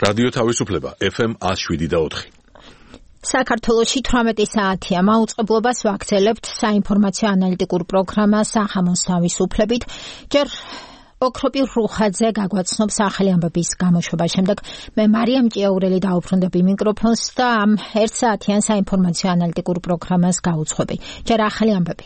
რადიო თავისუფლება FM 107.4. საქართველოში 18 საათია მაუწყებლობას ვაგრძელებთ საინფორმაციო ანალიტიკურ პროგრამას სახამოს თავისუფლებით. ჯერ ოქროპირ რუხაძე გაგვაცნობს ახალი ამბების გამოშვება. შემდეგ მე მარიამ ჭიაურელი დაუბრუნდები მიკროფონს და ამ 1 საათიან საინფორმაციო ანალიტიკურ პროგრამას გავუძღვები. ჯერ ახალი ამბები.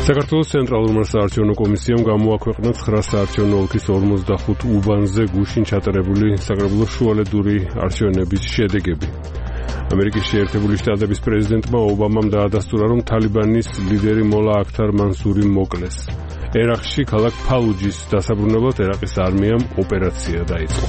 საქართველოს ცენტრალურმა საარჩევნო კომისიამ გამოაქვეყნა 9 საარჩევნო ოლქის 45 უბანზე გუშინ ჩატარებული საკრებულოს შუალედური არჩევნების შედეგები. ამერიკის შეერთებული შტატების პრეზიდენტმა ობამამ დაადასტურა, რომ თალიბანის ლიდერი მოლა აქთარ მანსური მოკლეს. ერაყში ქალაქ ფალუჯის დასაბრუნებლად ერაყის არმიამ ოპერაცია დაიწყო.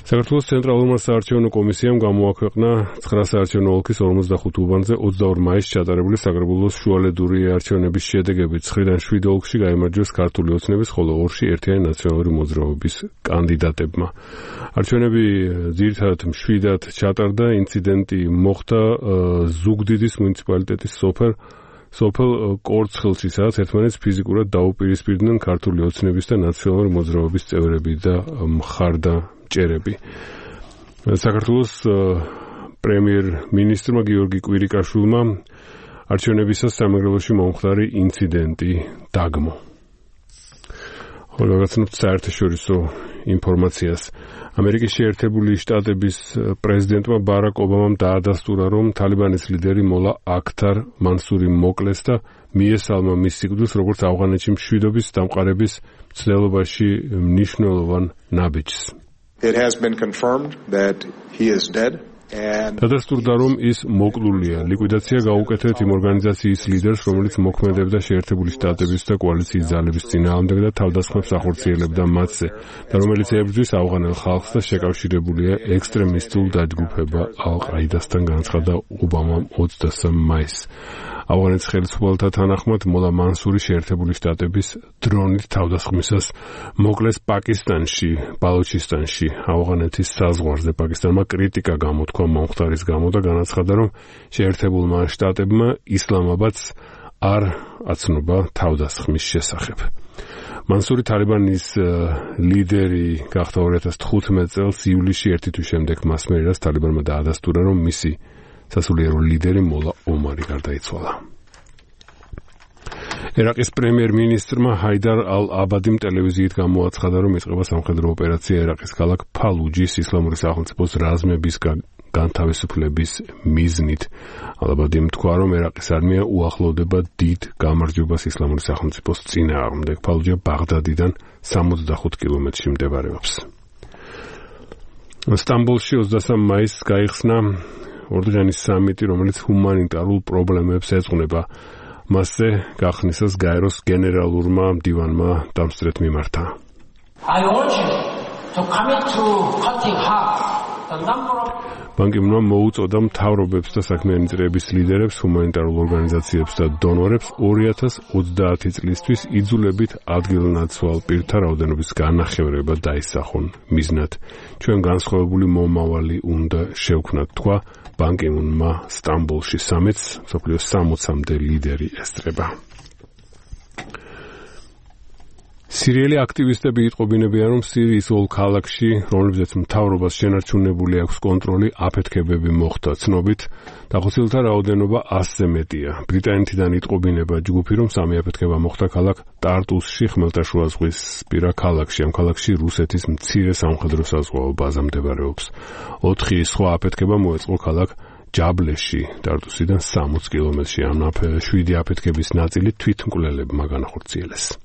საქართველოს ცენტრალურმა საარჩევნო კომისიამ გამოაქვეყნა 9 საარჩევნო ოლქის 45 უბანზე 22 მაისს ჩატარებული საკრებულოს შუალედური არჩევნების შედეგები. 9-დან 7 ოლქში გაიმარჯვეს ქართული ოცნების, ხოლო 2-ში ერთიანი ნაციონალური მოძრაობის კანდიდატებმა. არჩევნები ძირითადად მშვიდად ჩატარდა. ინციდენტი მოხდა ზუგდიდის მუნიციპალიტეტის სოფელ კორცხელში, სადაც ერთმანეთს ფიზიკურად დაუპირისპირდნენ ქართული ოცნების და ნაციონალური მოძრაობის წევრები და მხარდამჭერები. საქართველოს პრემიერ-მინისტრმა გიორგი კვირიკაშვილმა არჩევნებისას სამეგრელოში მომხდარი ინციდენტი დაგმო. გაცნობთ საერთაშორისო ინფორმაციას. ამერიკის შეერთებული შტატების პრეზიდენტმა ბარაკ ობამამ დაადასტურა, რომ თალიბანის ლიდერი მოლა აქთარ მანსური მოკლეს და მიესალმა მის სიკვდილს, როგორც ავღანეთში მშვიდობის დამყარების მცდელობაში მნიშვნელოვან ნაბიჯს. It has been confirmed that he is dead. დადასტურდა, რომ ის მოკლულია. ლიკვიდაცია გაუკეთეთ იმ ორგანიზაციის ლიდერს, რომელიც მოქმედებდა შეერთებული შტატების და კოალიციის ძალების წინააღმდეგ და თავდასხმებს ახორციელებდა მათზე და რომელიც ებრძვის ავღანელ ხალხს და შეკავშირებულია ექსტრემისტულ დაჯგუფება ალ-ყაიდასთან, განაცხადა ობამამ 23 მაისს. ავღანეთის ხელისუფლებათა თანახმად მოლა მანსური შეერთებული შტატების დრონით თავდასხმისას მოკლეს პაკისტანში, ბალუჩისტანში, ავღანეთის საზღვარზე. პაკისტანმა კრიტიკა გამოთქვა მომხდარის გამო და განაცხადა, რომ შეერთებულმა შტატებმა ისლამაბადს არ აცნობა თავდასხმის შესახებ. მანსური თალიბანის ლიდერი გახდა 2015 წელს ივლისში, ერთი თვის შემდეგ მას მერიდას თალიბანმა დაადასტურა, რომ მისი სასულიერო ლიდერი მოლა ომარი გარდაიცვალა. ერაყის პრემიერ-მინისტრმა ჰაიდარ ალ-აბადიმ ტელევიზიით გამოაცხადა, რომ იწყება სამხედრო ოპერაცია ერაყის ქალაქ ფალუჯის ისლამური სახელმწიფოს რაზმების განთავისუფლების მიზნით. ალ-აბადიმ თქვა, რომ ერაყის არმია უახლოვდება დიდ გამარჯვებას ისლამური სახელმწიფოს წინააღმდეგ. ფალუჯა ბაღდადიდან 65 კილომეტრში მდებარეობს. სტამბოლში 23 მაისს გაიხსნა ორდღიანი სამიტი, რომელიც ჰუმანიტარულ პრობლემებს ეძღვნება. მასზე გახსნისას გაეროს გენერალურმა მდივანმა დამსწრეთ მიმართა. ბან კი მუნმა მოუწოდა მთავრობებს და საქმიანი წრეების ლიდერებს, ჰუმანიტარულ ორგანიზაციებს და დონორებს 2030 წლისთვის იძულებით ადგილნაცვალ პირთა რაოდენობის განახევრება დაისახონ მიზნად. ჩვენ განსხვავებული მომავალი უნდა შევქმნათ, თქვა ბან კი მუნმა სტამბოლში სამიტს, მსოფლიოს 60-მდე ლიდერი ესწრება. სირიელი აქტივისტები იტყობინებიან, რომ სირიის ოლ ქალაქში, რომლებზეც მთავრობას შენარჩუნებული აქვს კონტროლი, აფეთქებები მოხდა. ცნობით, დახოცილთა რაოდენობა 100-ზე მეტია. ბრიტანეთიდან იტყობინება ჯგუფი, რომ სამი აფეთქება მოხდა ქალაქ ტარტუსში, ხმელთაშუა ზღვისპირა ქალაქში. ამ ქალაქში რუსეთის მცირე სამხედრო საზღვაო ბაზა მდებარეობს. 4 სხვა აფეთქება მოეწყო ქალაქ ჯაბლეში, ტარტუსიდან 60 კილომეტრში. ამ 7 აფეთქების ნაწილი თვითმკვლელებმა განახორციელეს.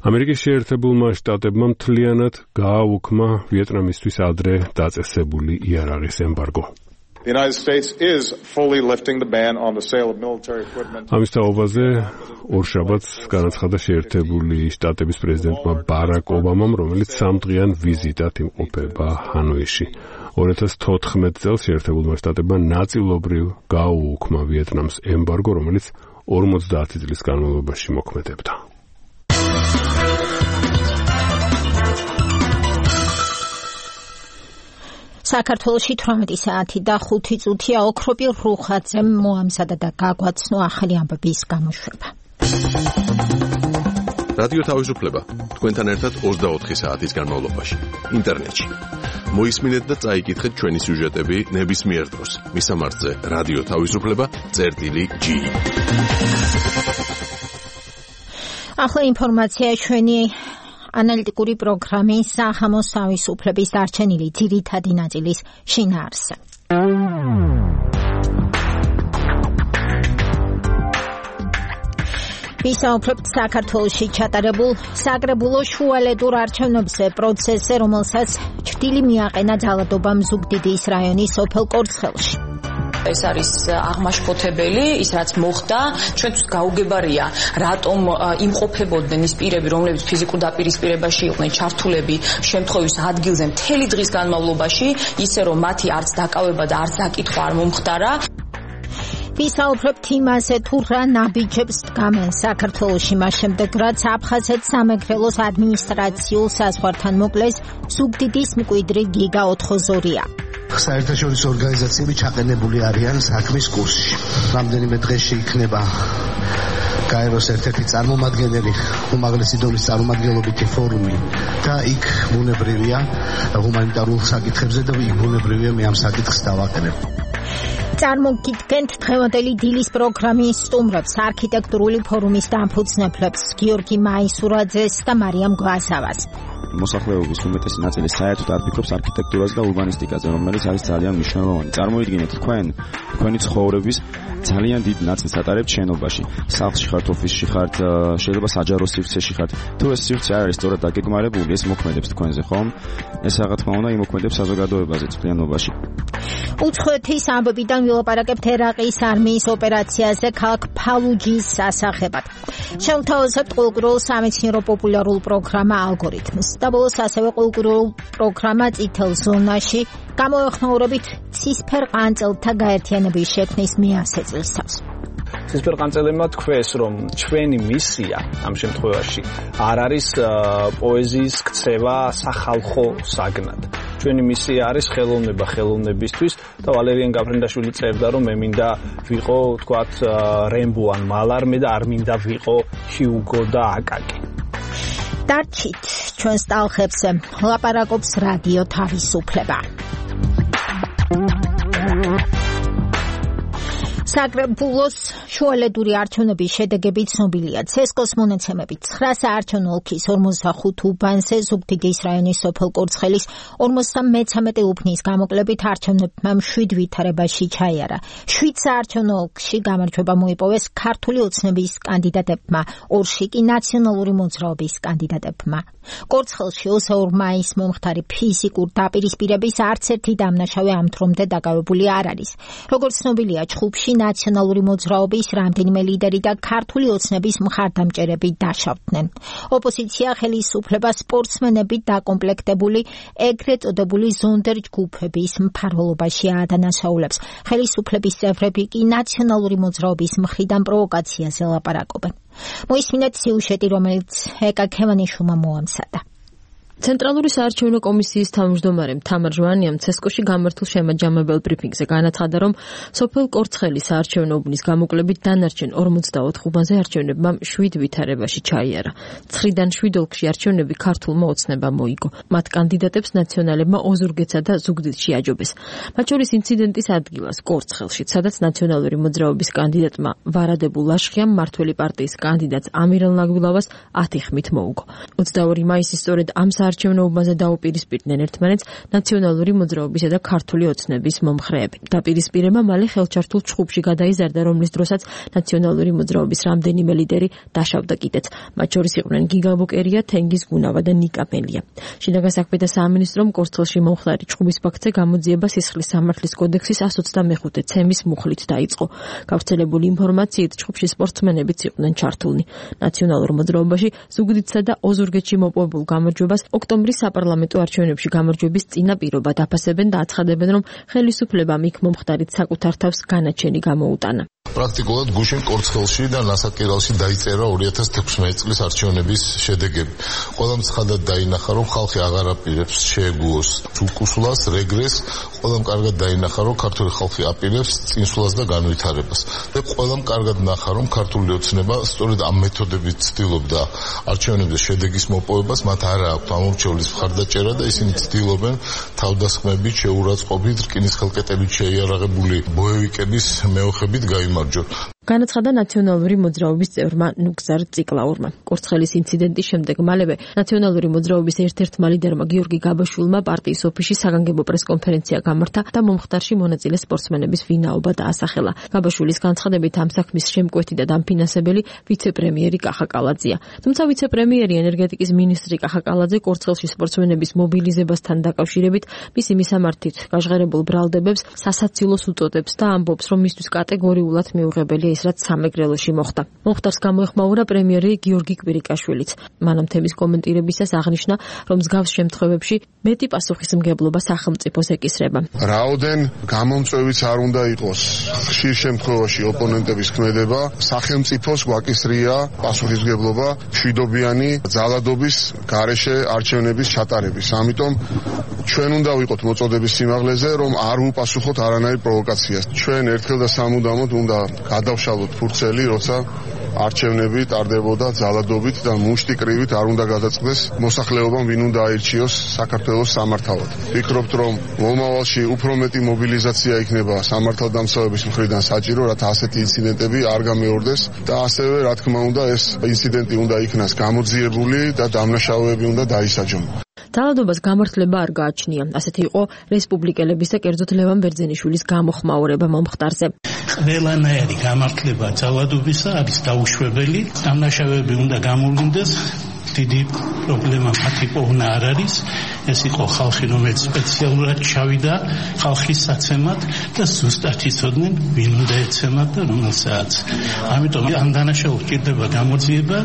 ამერიკის შეერთებულმა შტატებმა მთლიანად გააუქმა ვიეტნამისთვის ადრე დაწესებული იარაღის ემბარგო. The United States is fully lifting the ban on the sale of military equipment. ამის თაობაზე ორშაბათს განაცხადა შეერთებული შტატების პრეზიდენტმა ბარაკ ობამამ, რომელიც 3 დღიან ვიზიტად იმყოფება ჰანოიში. 2014 წელს შეერთებულმა შტატებმა ნაწილობრივ გაუუქმა ვიეტნამს ემბარგო, რომელიც 50 წლის განმავლობაში მოქმედებდა. საქართველოში 18 საათი და 5 წუთია ოქროპირ რუხაძემ მოამზადა და გაგვაცნო ახალი ამბების გამოშვება. რადიო თავისუფლება თქვენთან ერთად 24 საათის განმავლობაში ინტერნეტში. მოისმინეთ და წაიკითხეთ ჩვენი სიუჟეტები ნებისმიერ დროს. მისამართზე რადიო თავისუფლება.gi. ახლა ინფორმაცია ჩვენი ანალიტიკური პროგრამის სახამოს თავისუფლების დარჩენილი ძირითადი ნაწილის შინაარსზე. ვისაუბრებთ საქართველოში ჩატარებულ საკრებულო შუალედურ არჩევნებზე პროცესზე, რომელსაც ჩრდილი მიაყენა ძალადობამ ზუგდიდის რაიონის სოფელ კორცხელში. ეს არის აღმაშფოთებელი, ის რაც მოხდა, ჩვენთვის გაუგებარია, რატომ იმყოფებოდნენ ის პირები, რომლებიც ფიზიკურ დაპირისპირებაში იყვნენ ჩართულები შემთხვევის ადგილზე მთელი დღის განმავლობაში, ისე რომ მათი არც დაკავება და არც დაკითხვა არ მომხდარა. ვისაუბრებთ იმაზე, თუ რა ნაბიჯებს დგამენ საქართველოში მას შემდეგ, რაც აფხაზეთ სამეგრელოს ადმინისტრაციულ საზღვართან მოკლეს ზუგდიდის მკვიდრი გიგა 402-ია. საერთაშორისო ორგანიზაციები ჩაყენებული არიან საქმის კურსში. რამდენიმე დღეში იქნება გაეროს ერთ-ერთი წარმომადგენელი, უმაღლესი დონის წარმომადგენლობითი ფორუმი და იქ ბუნებრივია ჰუმანიტარულ საკითხებზე და იქ ბუნებრივია მე ამ საკითხს დავაკრებ. წარმოგიდგენთ დღევანდელი დილის პროგრამის სტუმრებს, არქიტექტურული ფორუმის დამფუძნებლებს გიორგი მაისურაძეს და მარიამ გვასავას. მოსახლეობის უმეტესი ნაწილი საერთოდ არ ფიქრობს არქიტექტურაზე და ურბანისტიკაზე, რომელიც არის ძალიან მნიშვნელოვანი. წარმოიდგინეთ თქვენი ცხოვრების ძალიან დიდ ნაწილს ატარებთ შენობაში. სახლში ხართ, ოფისში ხართ, შეიძლება საჯარო სივრცეში ხართ. თუ ეს სივრცე არ არის სწორად დაგეგმარებული, ეს მოქმედებს თქვენზე, ხომ? ეს რა თქმა უნდა იმოქმედებს საზოგადოებაზე წლიანობაში. უცხოეთის ამბებიდან ვილაპარაკებთ ერაყის არმიის ოპერაციაზე ქალაქ ფალუჯის სასახებად. შევთავაზებთ ყოველკვირეულ სამეცნიერო პოპულარულ პროგრამა ალგორითმს. და ბოლოს ასევე ყოველკვირეულ პროგრამა წითელ ზონაში გამოეხმაურებით ცისფერ ყანწელთა გაერთიანების შექმნის მე-100 წელსავს. ცისფერ ყანწელებმა თქვეს, რომ ჩვენი მისია ამ შემთხვევაში არ არის პოეზიის ქცევა სახალხო საგნად. ჩვენი მისია არის ხელოვნება ხელოვნებისთვის და ვალერიან გაფრინდაშვილი წერდა, რომ მე მინდა ვიყო, თქვათ, რემბო ან მალარმე და არ მინდა ვიყო ჰიუგო და აკაკი. დარჩით ჩვენს ტალხებზე, ლაპარაკობს რადიო თავისუფლება. საკრებულოს შუალედური არჩევნების შედეგები ცნობილია. ცესკოს მონაცემებით 9 საარჩევნო ოლქის 45 უბანზე ზუგდიდის რაიონის სოფელ კორცხელის 53 უბნის გამოკლებით არჩევნებმა 7 ვითარებაში ჩაიარა. 7 საარჩევნო ოლქში გამარჯვება მოიპოვეს ქართული ოცნების კანდიდატებმა, 2-ში კი ნაციონალური მოძრაობის კანდიდატებმა. კორცხელში 22 მაისს მომხდარი ფიზიკურ დაპირისპირების არც ერთი დამნაშავე ამ დრომდე დაკავებული არ არის. როგორც ცნობილია, ჩხუბში ნაციონალური მოძრაობის რამდენიმე ლიდერი და ქართული ოცნების მხარდამჭერები დაშავდნენ. ოპოზიცია ხელისუფლება სპორტსმენებით დაკომპლექტებული ეგრეთ წოდებული ზონდერ ჯგუფების მფარველობაში აადანაშაულებს. ხელისუფლების წევრები კი ნაციონალური მოძრაობის მხრიდან პროვოკაციაზე ლაპარაკობენ. მოისმინეთ სიუჟეტი, რომელიც ეკა ქევანიშვილმა მოამზადა. ცენტრალური საარჩევნო კომისიის თავმჯდომარემ თამარ ჟვანიამ ცესკოში გამართულ შემაჯამებელ ბრიფინგზე განაცხადა, რომ სოფელ კორცხელის საარჩევნო უბნის გამოკლებით დანარჩენ 44 უბანზე არჩევნებმა 7 ვითარებაში ჩაიარა. 9-დან 7 ოლქში არჩევნები ქართულმა ოცნებამ მოიგო. მათ კანდიდატებს ნაციონალებმა ოზურგეთსა და ზუგდიდში აჯობეს. მათ შორის ინციდენტის ადგილას კორცხელში, სადაც ნაციონალური მოძრაობის კანდიდატმა ვარადებულ ლაშხიამ მართველი პარტიის კანდიდატს ამირან ლაგვილავას 10 ხმით მოუგო. 22 მაისის სწორედ ამ არჩევნო უბანზე დაუპირისპირდნენ ერთმანეთს ნაციონალური მოძრაობისა და ქართული ოცნების მომხრეები. დაპირისპირება მალე ხელჩართულ ჩხუბში გადაიზარდა, რომლის დროსაც ნაციონალური მოძრაობის რამდენიმე ლიდერი დაშავდა კიდეც. მათ შორის იყვნენ გიგა ბოკერია, თენგიზ გუნავა და ნიკა მელია. შინაგან საქმეთა სამინისტრომ კორცხელში მომხდარი ჩხუბის ფაქტზე გამოძიება სისხლის სამართლის კოდექსის 125 ცემის მუხლით დაიწყო. გავრცელებული ინფორმაციით ჩხუბში სპორტსმენებიც იყვნენ ჩართულნი. ნაციონალურ მოძრაობაში ზუგდიდსა და ოზურგეთში მოპოვებულ გამარჯვებას ოქტომბრის საპარლამენტო არჩევნებში გამარჯვების წინაპირობა დაფასებენ და აცხადებენ, რომ ხელისუფლებამ იქ მომხდარით საკუთარ თავს განაჩენი გამოუტანა. პრაქტიკულად გუშინ კორცხელში და ნასაკირალში დაიწერა 2016 წლის არჩევნების შედეგები. ყველამ ცხადად დაინახა, რომ ხალხი აღარ აპირებს შეეგუოს უკუსლას, რეგრესს, ყველამ კარგად დაინახა, რომ ქართული ხალხი აპირებს წინსვლას და განვითარებას. და ყველამ კარგად ნახა, რომ ქართული ოცნება სწორედ ამ მეთოდებით ცდილობდა არჩევნების შედეგის მოპოვებას, მათ არ აქვთ ამორჩევლის მხარდაჭერა და ისინი ცდილობენ თავდასხმებით, შეურაცხყოფით, რკინის ხელკეტებით შეიარაღებული ბოევიკების მეოხებით გაიმარჯვონ. განაცხადა ნაციონალური მოძრაობის წევრმა ნუგზარ ციკლაურმა. კორცხელის ინციდენტის შემდეგ მალევე ნაციონალური მოძრაობის ერთ-ერთმა ლიდერმა გიორგი გაბაშვილმა პარტიის ოფისში საგანგებო პრესკონფერენცია გამართა და მომხდარში მონაწილე სპორტსმენების ვინაობა დაასახელა. გაბაშვილის განცხადებით ამ საქმის შემკვეთი და დამფინანსებელი ვიცე-პრემიერი კახა კალაძეა. თუმცა ვიცე-პრემიერი ენერგეტიკის მინისტრი კახა კალაძე კორცხელში სპორტსმენების მობილიზებასთან დაკავშირებით მისი მისამართით გაჟღერებულ ბრალდებებს სასაცილოს უწოდებს და ამბობს, რომ მისთვის კატეგორიულად მიუღებელია ის, რაც სამეგრელოში მოხდა. მომხდარს გამოეხმაურა პრემიერი გიორგი კვირიკაშვილიც. მანამ თემის კომენტირებისას აღნიშნა, რომ მსგავს შემთხვევებში მეტი პასუხისმგებლობა სახელმწიფოს ეკისრება. რაოდენ გამომწვევიც არ უნდა იყოს ხშირ შემთხვევაში ოპონენტების ქმედება, სახელმწიფოს გვაკისრია პასუხისმგებლობა მშვიდობიანი ძალადობის გარეშე არჩევნების ჩატარების. ამიტომ ჩვენ უნდა ვიყოთ მოწოდების სიმაღლეზე, რომ არ უპასუხოთ არანაირ პროვოკაციას. ჩვენ ერთხელ და სამუდამოდ უნდა გადავშალოთ ფურცელი, როცა არჩევნები ტარდებოდა ძალადობით და მუშტი კრივით არ უნდა გადაწყდეს მოსახლეობამ, ვინ უნდა აირჩიოს საქართველოს სამართავად. ვფიქრობთ, რომ მომავალში უფრო მეტი მობილიზაცია იქნება სამართალდამცავების მხრიდან საჭირო, რათა ასეთი ინციდენტები არ გამეორდეს და ასევე, რა თქმა უნდა, ეს ინციდენტი უნდა იქნას გამოძიებული და დამნაშავეები უნდა დაისაჯონ. ძალადობას გამართლება არ გააჩნია. ასეთი იყო რესპუბლიკელების და კერძოდ ლევან ბერძენიშვილის გამოხმაურება მომხდარზე. ყველანაირი გამართლება ძალადობისა არის დაუშვებელი. დამნაშავეები უნდა გამოვლინდეს. დიდი პრობლემა მათი პოვნა არ არის. ეს იყო ხალხი, რომელიც სპეციალურად ჩავიდა ხალხის საცემად და ზუსტად იცოდნენ, ვინ უნდა ეცემათ და რომელ საათს. ამიტომ ამ დანაშაულს ჭირდება გამოძიება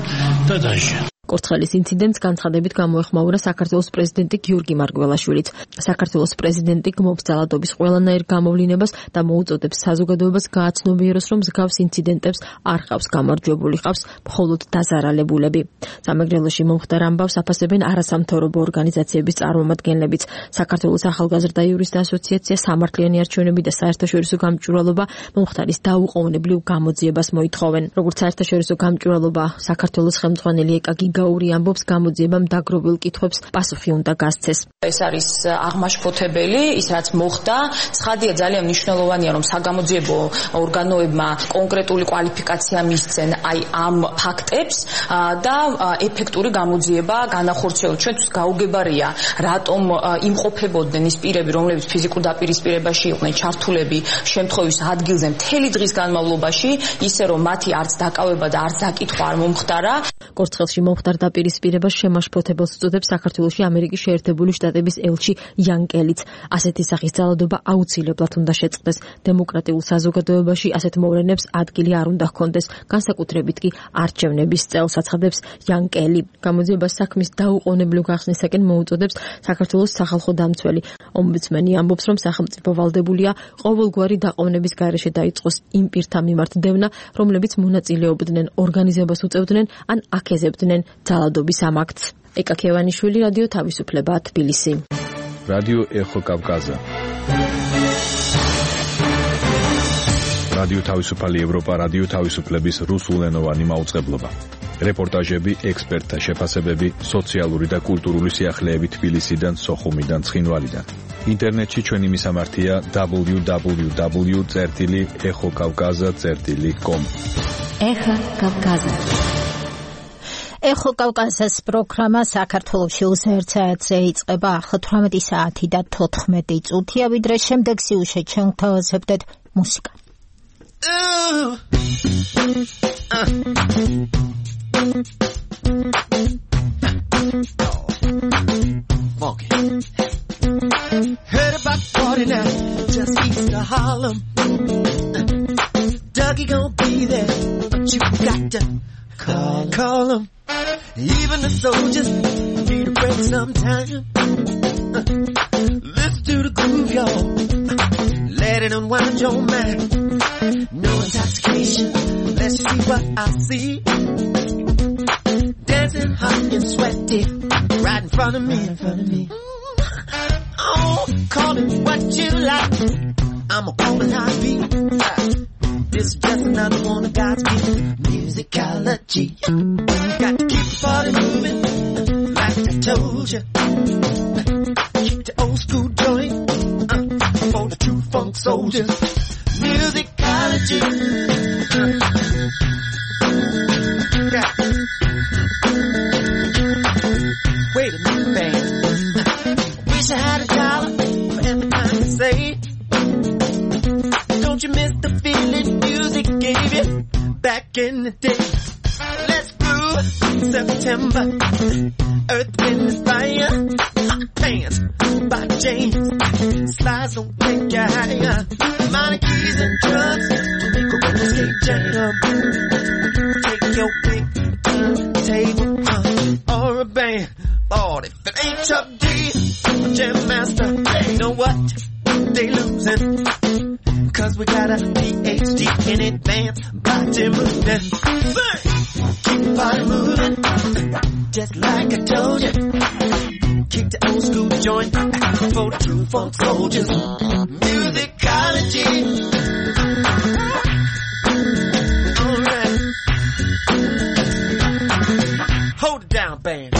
და დაჟე. კორცხელის ინციდენტს განცხადებით გამოეხმაურა საქართველოს პრეზიდენტი გიორგი მარგველაშვილიც. საქართველოს პრეზიდენტი გმობს ძალადობის ყველანაირ გამოვლინებას და მოუწოდებს საზოგადოებას გააცნობიეროს, რომ მსგავს ინციდენტებს არ ყავს გამარჯვებული, ყავს მხოლოდ დაზარალებულები. სამეგრელოში მომხდარ ამბავს აფასებენ არასამთავრობო ორგანიზაციების წარმომადგენლებიც. საქართველოს ახალგაზრდა იურისტთა ასოციაცია, სამართლიანი არჩევნები და საერთაშორისო გამჭვირვალობა მომხდარის დაუყოვნებლივ გამოძიებას მოითხოვენ. როგორც საერთაშორისო გამჭვირვალობა საქართველოს ხელმძღვანელი ეკაგი გაური ამბობს, გამოძიებამ დაგროვილ კითხვებს პასუხი უნდა გასცეს. ეს არის აღმაშფოთებელი, ის რაც მოხდა. ცხადია, ძალიან მნიშვნელოვანია, რომ საგამოძიებო ორგანოებმა კონკრეტული კვალიფიკაცია მისცენ აი ამ ფაქტებს და ეფექტური გამოძიება განახორციელონ. ჩვენთვის გაუგებარია, რატომ იმყოფებოდნენ ის პირები, რომლებიც ფიზიკურ დაპირისპირებაში იყვნენ ჩართულები შემთხვევის ადგილზე მთელი დღის განმავლობაში, ისე რომ მათი არც დაკავება და არც დაკითხვა არ მომხდარა. კორცხელში მომხდარ დაპირისპირებას შემაშფოთებელს უწოდებს საქართველოში ამერიკის შეერთებული შტატების ელჩი იან კელიც. ასეთი სახის ძალადობა აუცილებლად უნდა შეწყდეს. დემოკრატიულ საზოგადოებაში ასეთ მოვლენებს ადგილი არ უნდა ჰქონდეს, განსაკუთრებით კი არჩევნების წელს, აცხადებს იან კელი. გამოძიებას საქმის დაუყოვნებლივ გახსნისაკენ მოუწოდებს საქართველოს სახალხო დამცველი. ომბუდსმენი ამბობს, რომ სახელმწიფო ვალდებულია ყოველგვარი დაყოვნების გარეშე დაიწყოს იმ პირთა მიმართ დევნა, რომლებიც მონაწილეობდნენ, ორგანიზებას უწევდნენ ან აქეზებდნენ ძალადობის ამ აქტს. ეკა ქევანიშვილი, რადიო თავისუფლება, თბილისი. რადიო ეხო კავკაზა. რადიო თავისუფალი ევროპა, რადიო თავისუფლების რუსულენოვანი მაუწყებლობა. რეპორტაჟები, ექსპერტთა შეფასებები, სოციალური და კულტურული სიახლეები თბილისიდან, სოხუმიდან, ცხინვალიდან. ინტერნეტში ჩვენი მისამართია www.ეხოკავკაზა.com. ეხა კავკაზა. ეხო კავკაზას პროგრამა საქართველოში უზერც საათზე იწყება ახლა 18 საათი და 14 წუთია, ვიდრე შემდეგ სიუჟეტ ჩვენ გთავაზებდეთ მუსიკა. Heard about party now, just east of Harlem. Dougie gon' be there, but you got to call him. Even the soldiers need a break sometime. Listen to the groove, y'all. Let it unwind your mind. No intoxication. Let's see what I see. Dancing hot and sweaty, right in front of me. Oh, call it what you like. I'ma call it how it be. This is just another one of God's gifts. Musicology. Got to keep the party moving, like I told you. Keep the old school joint for the true funk soldiers. Musicology. Wait a minute, babe. Wish I had $1 for every time you say. Don't you miss the feeling music gave you back in the day? Let's groove September. Earth, Wind and Fire. Pants by James. Slides don't take you higher. Minor keys and drums to make a roller skate jam. Take your pick, turntable or a band. Lord, if it ain't Chuck D, Jam Master, you know what? They losing. Cause we got a PhD in advanced body movement. Keep the body moving, just like I told you. Keep the old school joint for the true funk soldiers. Musicology. Alright. Hold it down, band.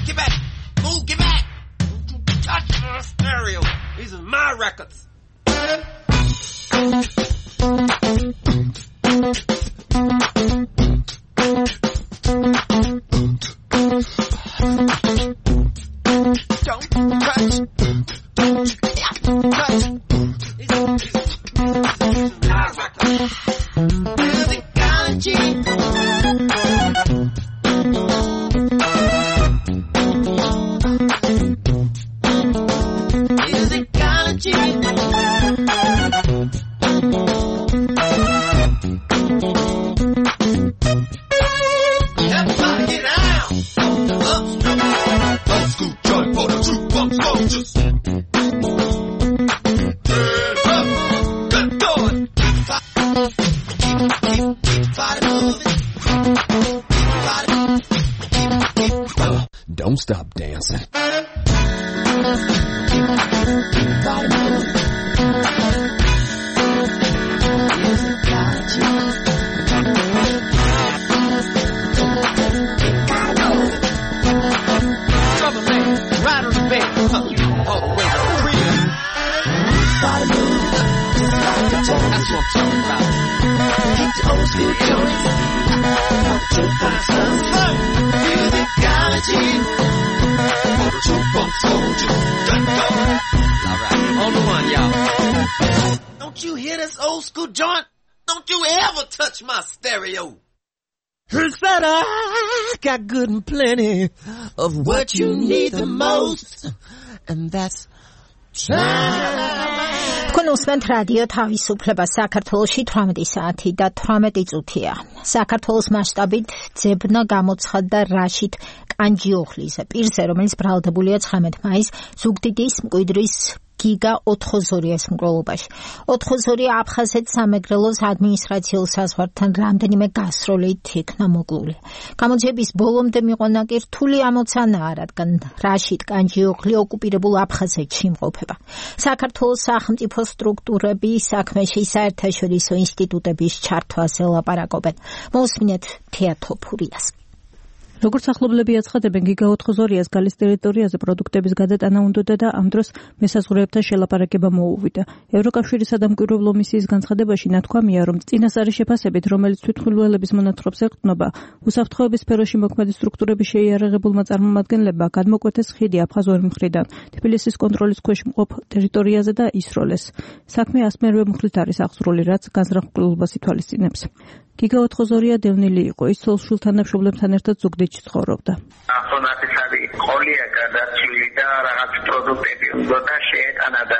Get back! Move, get back! Don't you touch my stereo. These are my records. Don't touch. Musicology. Everybody get out. Old school joint for the true funk soldiers. Good going. Keep body moving. Don't stop dancing. Keep body moving. Right on the bed, all the way to the crib. Body move, that's what I'm talking about. Keep the old school joints, true funk soldiers. Musicology, for the true funk soldiers. Alright, on the one, y'all. Don't you hear this old school joint? Don't you ever touch my stereo. He said I got good and plenty of what you need the most, and that's time. თქვენ უსმენთ რადიო თავისუფლება საქართველოში 18 საათი და 18 წუთია. საქართველოს მასშტაბით ძებნა გამოცხადდა რაშიდ კანჯიოხლის პირზე, რომელიც ბრალდებულია 19 მაისს ზუგდიდის მკვიდრის გიგა ოთხოზორიას მკვლელობაში. ოთხოზორია აფხაზეთ სამეგრელოს ადმინისტრაციულ საზღვართან რამდენიმე გასროლით იქნა მოკლული. გამოძიების ბოლომდე მიყვანა კი რთული ამოცანაა, რადგან რაშიდ კანჯიოხლი ოკუპირებულ აფხაზეთში იმყოფება. საქართველოს სახელმწიფო სტრუქტურები საქმეში საერთაშორისო ინსტიტუტების ჩართვაზე ლაპარაკობენ. მოусმინეთ თეატოფურიას. როგორც ახლობლები აცხადებენ, გიგა ოთხოზორიას გალის ტერიტორიაზე პროდუქტების გადატანა უნდოდა და ამ დროს მესაზღვრეებთან შელაპარაკება მოუვიდა. ევროკავშირის სადამკვირვებლო მისიის განცხადებაში ნათქვამია, რომ წინასწარი შეფასებით, რომელიც თვითმხილველების მონათხრობს ეყრდნობა, უსაფრთხოების სფეროში მოქმედი სტრუქტურების შეიარაღებულმა წარმომადგენლებმა გადმოკვეთეს ხიდი აფხაზური მხრიდან თბილისის კონტროლის ქვეშ მყოფ ტერიტორიაზე და ისროლეს. საქმე ასმერვე მხრით არის აღძრული, რაც განზრახულობას ითვალისწინებს. გიგა ოთხოზორია დევნილი იყო, ის ცოლ-შვილთან და მშობლებთან ერთად ზუგდიდში ცხოვრობდა. ახონათი სადი ყოლია გადარჩილი და რაღაც პროდუქტები უნდა შეეტანა და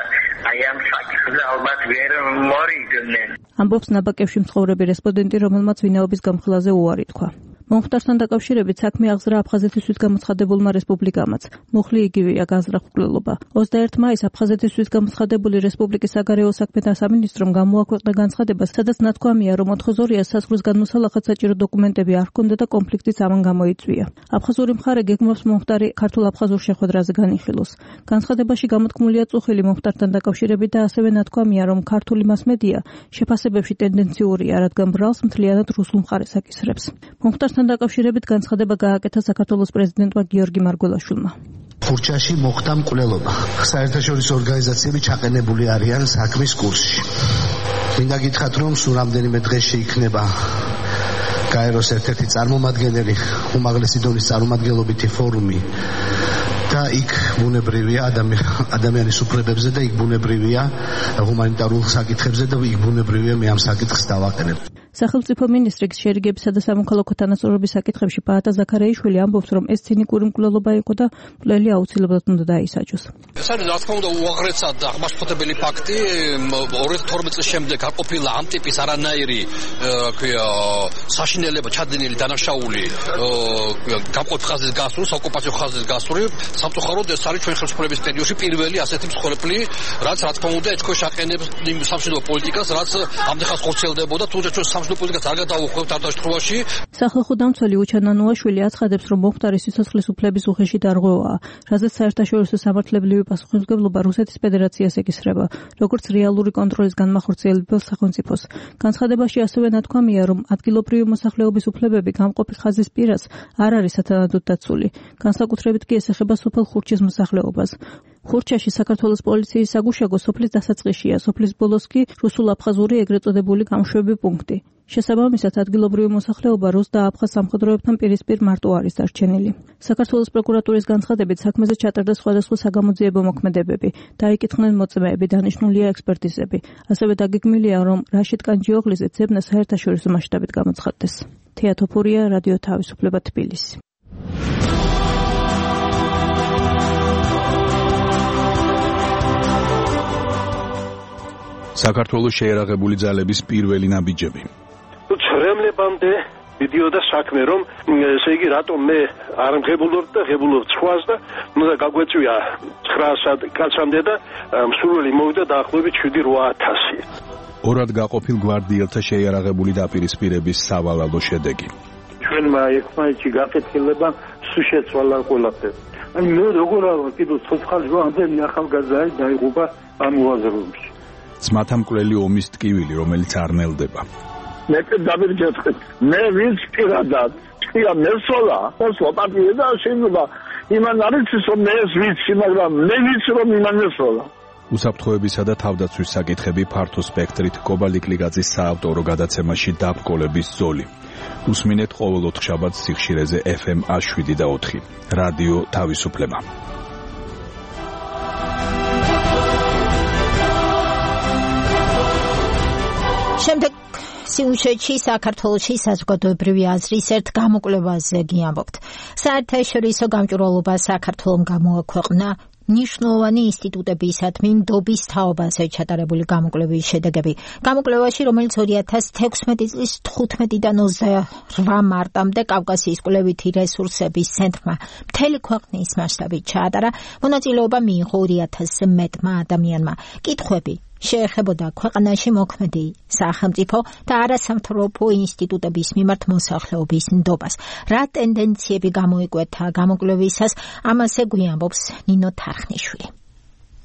აი ამ საკითხზე ალბათ ვერ მორიგდნენ. ამბობს ნაბაკებში მცხოვრები რესპონდენტი, რომელმაც ვინაობის გამხელაზე უარი თქვა. მომხდართან დაკავშირებით საქმე აღზრა აფხაზეთისთვის გამოცხადებულმა რესპუბლიკამაც. მუხლი იგივეა განზრახ მკვლელობა. 21 მაისს აფხაზეთისთვის გამოცხადებული რესპუბლიკის საგარეო საქმეთა სამინისტრომ გამოაქვეყნა განცხადება, სადაც ნათქვამია, რომ ოთხოზორიას საზღვრის გადმოსალახად საჭირო დოკუმენტები არ ჰქონდა და კონფლიქტიც ამან გამოიწვია. აფხაზური მხარე გეგმავს მომხდარი ქართულ-აფხაზურ შეხვედრაზე განიხილოს. განცხადებაში გამოთქმულია წუხილი მომხდართან დაკავშირებით და ასევე ნათქვამია, რომ ქართული მასმედია შეფასებებში ტენდენციურია, რადგან ბრალს მთლიანად რუსულ მხარეს აკისრებს. მომხდართან დაკავშირებით განცხადება გააკეთა საქართველოს პრეზიდენტმა გიორგი მარგველაშვილმა. ხურჩაში მოხდა მკვლელობა. საერთაშორისო ორგანიზაციები ჩაყენებული არიან საქმის კურსში. მინდა გითხრათ, რომ სულ რამდენიმე დღეს შეიქმნება გაეროს ერთ-ერთი წარმომადგენელი, უმაღლესი დონის წარმომადგენლობითი ფორუმი და იქ ბუნებრივია ადამიანის უფლებებზე და იქ ბუნებრივია ჰუმანიტარულ საკითხებზე და იქ ბუნებრივია მე ამ საკითხს დავაყენებ. სახელმწიფო მინისტრის შერიგებისა და სამოქალაქო თანასწორობის საკითხებში პაატა ზაქარაიშვილი ამბობს, რომ ეს ცინიკური მკვლელობა იყო და მკვლელი აუცილებლად უნდა დაისაჯოს. ეს არის რა თქმა უნდა უაღრესად აღმაშფოთებელი ფაქტი. 2012 წლის შემდეგ არ ყოფილა ამ ტიპის არანაირი საშინელება ჩადენილი დანაშაული გამყოფ ხაზის გასული, ოკუპაციო ხაზის გასული. სამწუხაროდ ეს არის ჩვენ ხელისუფლების პერიოდში პირველი ასეთი მსხვერპლი, რაც რა თქმა უნდა ეჭქვეშ აყენებს იმ სამშვიდობო პოლიტიკას, რაც ამდენხანს ხორციელდებოდა, თუმცა ჩვენ სამშვიდობო პოლიტიკას არ გადავუხვევთ ამ დაშრობაში. სახალხო დამცველი უჩან ანუაშვილი აცხადებს, რომ მომხდარი სიცოცხლის უფლების უხეში დარღვევაა, რაზეც საერთაშორისო სამართლებრივი პასუხისმგებლობა რუსეთის ფედერაციას ეკისრება, როგორც რეალური კონტროლის განმახორციელებელ სახელმწიფოს. განცხადებაში ასევე ნათქვამია, რომ ადგილობრივი მოსახლეობის უფლებები გამყოფი ხაზის პირას არ არის სათანადოდ დაცული. განსაკუთრებით კი ეს ეხება სოფელ ხურჩის მოსახლეობას. ხურჩაში საქართველოს პოლიციის საგუშაგო სოფლის დასაწყისშია, სოფლის ბოლოს კი რუსულ-აფხაზური ეგრეთ წოდებული გამშვები პუნქტი. შესაბამისად, ადგილობრივი მოსახლეობა რუს და აფხაზ სამხედროებთან პირისპირ მარტო არის დარჩენილი. საქართველოს პროკურატურის განცხადებით საქმეზე ჩატარდა სხვადასხვა საგამოძიებო მოქმედებები, დაიკითხნენ მოწმეები, დანიშნულია ექსპერტიზები. ასევე დაგეგმილია, რომ რაშიდ კანჯიოღლიზე ძებნა საერთაშორისო მასშტაბით გამოცხადდეს. თეა თოფურია, რადიო თავისუფლება, თბილისი. საქართველოს შეერაღებული ძალების პირველი ნაბიჯები. ცრემლებამდე მიდიოდა საქმე, რომ ესე იგი რატომ მე არ მღებულობ და ღებულობ ცხვას და უნდა გაგვეწვია 900 კაცამდე და მსურველი მოვიდა დაახლოებით 7-8000. ორად გაყოფილ გვარდიელთა შეიარაღებული დაპირისპირების სავალალო შედეგი. ჩვენმა ერთმანეთში გაკეთილება სულ შეცვალა ყველაფერი. აი მე როგორ არა კიდევ ცოცხალი ამდენი ახალგაზრდა დაიღუპა ამ უაზროებში. ძმათა მკვლელი ომის ტკივილი, რომელიც არ ნელდება. მე დავირჯეთქეთ. მე ვინც პირადად თქვია მესოლა, მოსლა პარტია და შეიძლება იმან არის რომ მე ეს ვიცი, მაგრამ მე ვიცი რომ იმან მესოლა. უსაფრთხოებისა და თავდაცვის საკითხები ფართო სპექტრით კობალიკლიგაძის საავტორო გადაცემაში დაბკოლების ზოლი. უსმინეთ ყოველ 4 შაბათს სიხშირეზე FM 7 რადიო თავისუფლება. შემდეგ სიუჟეტში საქართველოში საზოგადოებრივი აზრის ერთ გამოკვლევაზე გიამბობთ. საერთაშორისო გამჭვირვალობა საქართველომ გამოაქვეყნა ნიშნულოვანი ინსტიტუტებისადმი ნდობის თაობაზე ჩატარებული გამოკვლევის შედეგები. გამოკვლევაში, რომელიც 2016 წლის 15-დან 28 მარტამდე კავკასიის კვლევითი რესურსების ცენტრმა მთელი ქვეყნის მასშტაბით ჩაატარა, მონაწილეობა მიიღო 2000-ზე მეტმა ადამიანმა. კითხვები შეეხებოდა ქვეყანაში მოქმედი სახელმწიფო და არასამთავრობო ინსტიტუტების მიმართ მოსახლეობის ნდობას. რა ტენდენციები გამოიკვეთა გამოკვლევისას, ამაზე გვიამბობს ნინო თარხნიშვილი.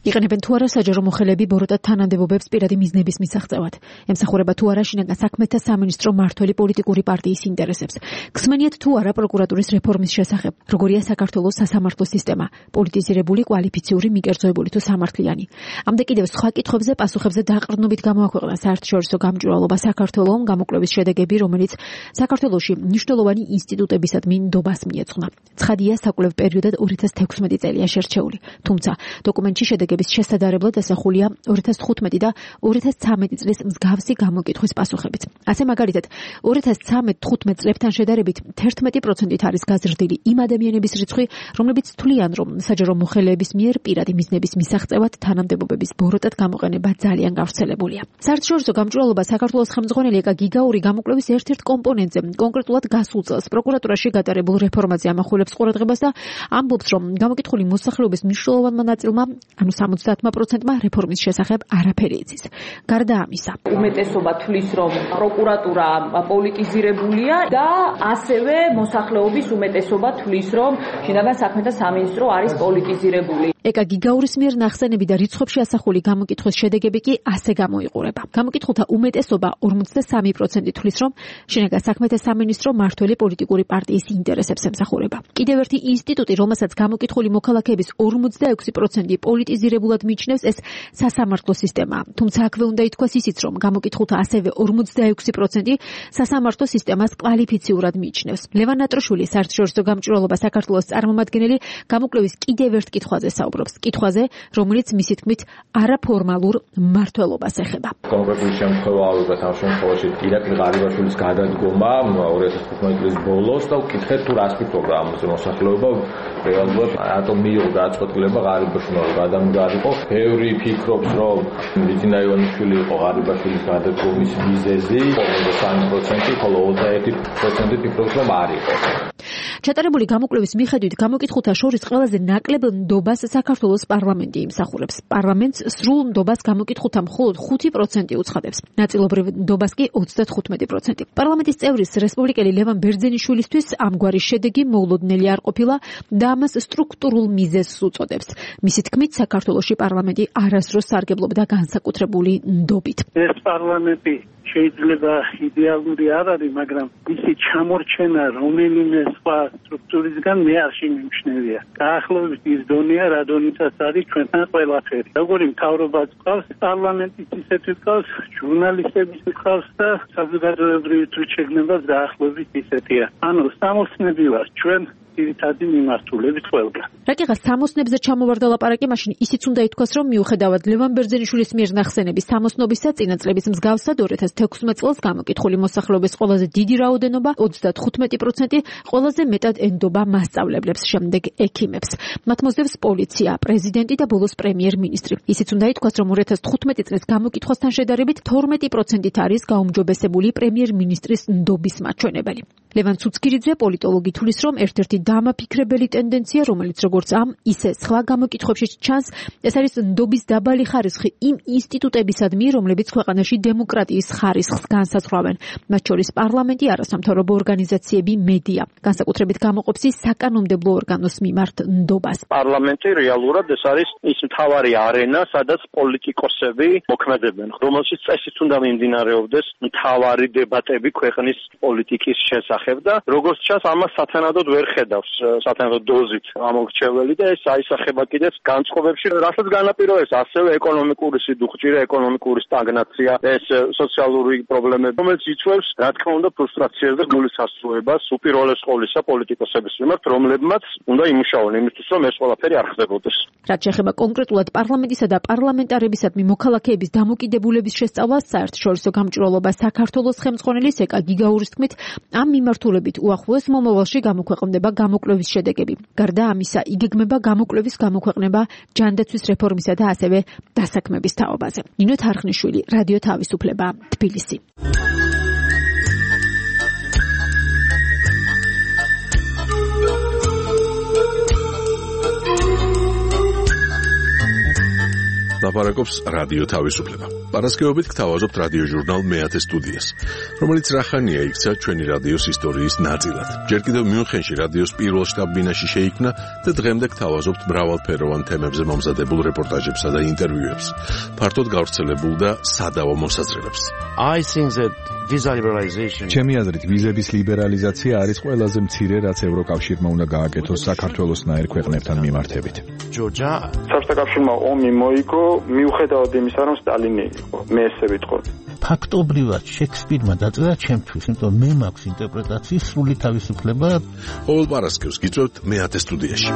იყენებენ თუ არა საჯარო მოხელეები ბოროტად თანამდებობებს პირადი მიზნების მისაღწევად. ემსახურება თუ არა შინაგან საქმეთა სამინისტრო მართველი პოლიტიკური პარტიის ინტერესებს. გსმენიათ თუ არა პროკურატურის რეფორმის შესახებ. როგორია საქართველოს სასამართლო სისტემა, პოლიტიზირებული, კვალიფიციური, მიკერძოებული თუ სამართლიანი. ამდე კიდევ სხვა კითხვებზე პასუხებზე დაყრდნობით გამოაქვეყნა საერთაშორისო გამჭვირვალობა საქართველოს გამოკვლევის შედეგები, რომელიც საქართველოში მნიშვნელოვანი ინსტიტუტებისადმი ნდობას მიეძღვნა. ცხადია, საკვლევ პერიოდად 2016 წელია შერჩეული. თუმცა დოკუმენტში შედეგები შედეგების შესადარებლად ასახულია 2015 და 2013 წლის მსგავსი გამოკითხვის პასუხებით. ასე მაგალითად 2013-15 წლებთან შედარებით 11%-ით არის გაზრდილი იმ ადამიანების რიცხვი, რომლებიც თვლიან, რომ საჯარო მოხელეების მიერ პირადი მიზნების მისაღწევად თანამდებობების ბოროტად გამოყენება ძალიან გავრცელებულია. საერთაშორისო გამჭვირვალობა საქართველოს ხელმძღვანელი ეკა გიგაური გამოკვლევის ერთ-ერთ კომპონენტზე, კონკრეტულად გასულ წელს პროკურატურაში გატარებულ რეფორმაზე ამახვილებს ყურადღებას და ამბობს, რომ გამოკითხული მოსახლეობის მნიშვნელოვანმა ნაწილმა, ანუ 70%-მა რეფორმის შესახებ არაფერი იცის. გარდა ამისა, უმეტესობა თვლის, რომ პროკურატურა პოლიტიზირებულია და ასევე მოსახლეობის უმეტესობა თვლის, რომ შინაგან საქმეთა სამინისტრო არის პოლიტიზირებული. ეკა გიგაურის მიერ ნახსენები და რიცხვებში ასახული გამოკითხვის შედეგები კი ასე გამოიყურება. გამოკითხულთა უმეტესობა 53% თვლის, რომ შინაგან საქმეთა სამინისტრო მართველი პოლიტიკური პარტიის ინტერესებს ემსახურება. კიდევ ერთი ინსტიტუტი, რომელსაც გამოკითხული მოქალაქეების 46% პოლიტიზირებულად მიიჩნევს, ეს სასამართლო სისტემაა. თუმცა აქვე უნდა ითქვას ისიც, რომ გამოკითხულთა ასევე 46% სასამართლო სისტემას კვალიფიციურად მიიჩნევს. ლევან ნატროშვილი, საერთაშორისო გამჭვირვალობა საქართველოს წარმომადგენელი, გამოკვლევის კიდევ ერთ კითხვაზე საუბრობს. კითხვაზე, რომელიც მისი თქმით არაფორმალურ მმართველობას ეხება. კონკრეტული შემთხვევა ალბათ ამ შემთხვევაში ირაკლი ღარიბაშვილის გადადგომა 2015 წლის ბოლოს და ვკითხეთ თუ რას ფიქრობდა ამაზე მოსახლეობა, რეალურად რატომ მიიღო გადაწყვეტილება ღარიბაშვილმა გადამდგარიყო. ბევრი ფიქრობს, რომ ბიძინა ივანიშვილი იყო ღარიბაშვილის გადადგომის მიზეზი, 53%, ხოლო 21% ფიქრობს, რომ არ იყო. ჩატარებული გამოკვლევის მიხედვით გამოკითხულთა შორის ყველაზე ნაკლებ ნდობას საქართველოს პარლამენტი იმსახურებს. პარლამენტს სრულ ნდობას გამოკითხულთა მხოლოდ 5% უცხადებს. ნაწილობრივ ნდობას კი 35%. პარლამენტის წევრის რესპუბლიკელი ლევან ბერძენიშვილისთვის ამგვარი შედეგი მოულოდნელი არ ყოფილა და ამას სტრუქტურულ მიზეზს უწოდებს. მისი თქმით, საქართველოში პარლამენტი არასდროს სარგებლობდა განსაკუთრებული ნდობით. ეს პარლამენტი შეიძლება იდეალური არ არის, მაგრამ ისი ჩამორჩენა რომელიმე სხვა სტრუქტურისგან მე არ შემიმჩნევია. გაახლოებით ის დონეა, რა დონითაც არის ჩვენთან ყველაფერი. როგორი მთავრობაც ყავს, პარლამენტის ისეთი ყავს, ჟურნალისტების ყავს და საზოგადოებრივი თვითშეგნებაც დაახლოებით ისეთია. ანუ სამოსნები ვარ ჩვენ ძირითადი მიმართულებით ყველგან. რაკიღა სამოსნებზე ჩამოვარდა ლაპარაკი, მაშინ ისიც უნდა ითქვას, რომ მიუხედავად ლევან ბერძენიშვილის მიერ ნახსენების სამოსნობისა, წინა წლების მსგავსად 2016 წელს გამოკითხული მოსახლეობის ყველაზე დიდი რაოდენობა 35%, ყველაზე მეტად ენდობა მასწავლებლებს, შემდეგ ექიმებს. მათ მოსდევს პოლიცია, პრეზიდენტი და ბოლოს პრემიერ-მინისტრი. ისიც უნდა ითქვას, რომ 2015 წლის გამოკითხვასთან შედარებით 12%-ით არის გაუმჯობესებული პრემიერ-მინისტრის ნდობის მაჩვენებელი. ლევან ცუცქირიძე, პოლიტოლოგი, თვლის, რომ ერთ-ერთი დამაფიქრებელი ტენდენცია, რომელიც როგორც ამ, ისე სხვა გამოკითხვებში ჩანს, ეს არის ნდობის დაბალი ხარისხი იმ ინსტიტუტებისადმი, რომლებიც ქვეყანაში დემოკრატიის ხარისხს განსაზღვრავენ, მათ შორის პარლამენტი, არასამთავრობო ორგანიზაციები, მედია. განსაკუთრებით გამოყოფს ის საკანონმდებლო ორგანოს მიმართ ნდობას. პარლამენტი რეალურად ეს არის ის მთავარი არენა, სადაც პოლიტიკოსები მოქმედებენ, რომელშიც წესით უნდა მიმდინარეობდეს მთავარი დებატები ქვეყნის პოლიტიკის შესახებ და როგორც ჩანს, ამას სათანადოდ ვერ ხედავს სათანადო დოზით ამორჩეველი და ეს აისახება კიდეც განწყობებში, რასაც განაპირობებს ასევე ეკონომიკური სიდუხჭირე, ეკონომიკური სტაგნაცია, ეს სოციალური პრობლემები, რომელიც იწვევს, რა თქმა უნდა, ფრუსტრაციას და გულის ასრულებას უპირველეს ყოვლისა პოლიტიკოსების მიმართ, რომლებმაც უნდა იმუშაონ იმისთვის, რომ ეს ყველაფერი არ ხდებოდეს. რაც შეეხება კონკრეტულად პარლამენტისა და პარლამენტარებისადმი მოქალაქეების დამოკიდებულების შესწავლას, საერთაშორისო გამჭვირვალობა საქართველოს ხელმძღვანელის ეკა გიგაურის თქმით, ამ მიმართულებით უახლოეს მომავალში გამოქვეყნდება გამოკვლევის შედეგები. გარდა ამისა, იგეგმება გამოკვლევის გამოქვეყნება ჯანდაცვის რეფორმისა და ასევე დასაქმების თაობაზე. ნინო თარხნიშვილი, რადიო თავისუფლება, თბილისი. ლაპარაკობს რადიო თავისუფლება. პარასკევობით გთავაზობთ რადიო ჟურნალ მეათე სტუდიას, რომელიც რახანია იქცა ჩვენი რადიოს ისტორიის ნაწილად. ჯერ კიდევ მიუნხენში რადიოს პირველ შტაბ-ბინაში შეიქმნა და დღემდე გთავაზობთ მრავალფეროვან თემებზე მომზადებულ რეპორტაჟებსა და ინტერვიუებს, ფართოდ გავრცელებულ და სადავო მოსაზრებებს. ჩემი აზრით, ვიზების ლიბერალიზაცია არის ყველაზე მცირე, რაც ევროკავშირმა უნდა გააკეთოს საქართველოსნაირ ქვეყნებთან მიმართებით. საბჭოთა კავშირმა ომი მოიგო, მიუხედავად იმისა, რომ სტალინი იყო. მე ესე ვიტყოდი. ფაქტობრივად შექსპირმა დაწერა ჩემთვის, იმიტომ მე მაქვს ინტერპრეტაციის სრული თავისუფლება. ყოველ პარასკევს გიწევთ მეათე სტუდიაში.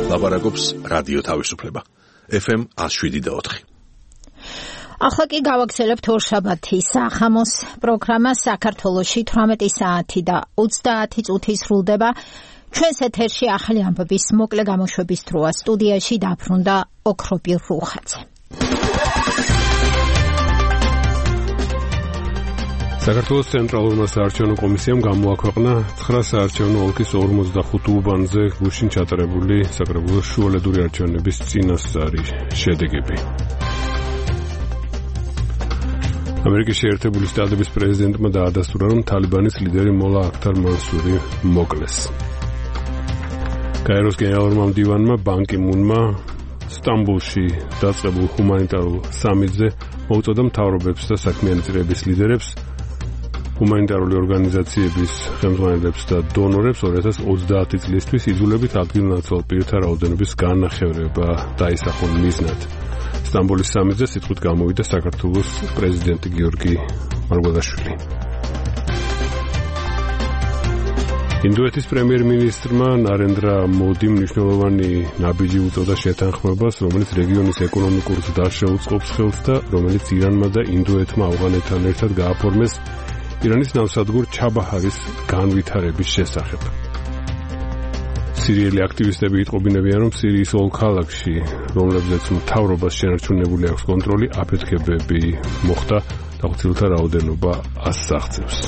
ლაპარაკობს რადიო თავისუფლება. FM 107.4. ახლა კი გავაგზავნებთ ორშაბათის სახამოს პროგრამა საქართველოში 18 საათი და 30 წუთი სრულდება. ჩვენს ეთერში ახალი ამბების მოკლე გამოშვების დროა. სტუდიაში დაბრუნდა ოქროპი რუხაძე. საქართველოს ცენტრალურმა საარჩევნო კომისიამ გამოაქვეყნა 9 საარჩევნო ოლქის 45 უბანზე გუშინ ჩატარებული საკრებულოს შუალედური არჩევნების წინასწარი შედეგები. ამერიკის შეერთებული შტატების პრეზიდენტმა დაადასტურა, რომ თალიბანის ლიდერი მოლა აქთარ მანსური მოკლეს. კაიროს გენერალურმა მდივანმა ბან კი მუნმა სტამბოლში დაწყებულ ჰუმანიტარულ სამიტზე მოუწოდა მთავრობებს და საქმიანი წრეების ლიდერებს, ჰუმანიტარული ორგანიზაციების ხელმძღვანელებს და დონორებს 2030 წლისთვის იძულებით ადგილნაცვალ პირთა რაოდენობის განახევრება დაისახონ მიზნად. სტამბოლის სამიტზე სიტყვით გამოვიდა საქართველოს პრეზიდენტი გიორგი მარგველაშვილი. ინდოეთის პრემიერ-მინისტრმა ნარენდრა მოდიმ მნიშვნელოვანი ნაბიჯი უწოდა შეთანხმებას, რომელიც რეგიონის ეკონომიკურ ზრდას შეუწყობს ხელს და რომელიც ირანმა და ინდოეთმა ავღანეთთან ერთად გააფორმეს ირანის ნავსადგურ ჩაბაჰარის განვითარების შესახებ. სირიელი აქტივისტები იტყობინებიან, რომ სირიის ოლ ქალაქში, რომლებზეც მთავრობას შენარჩუნებული აქვს კონტროლი, აფეთქებები მოხდა და ხუთილთა რაოდენობა 100-ს აღწევს.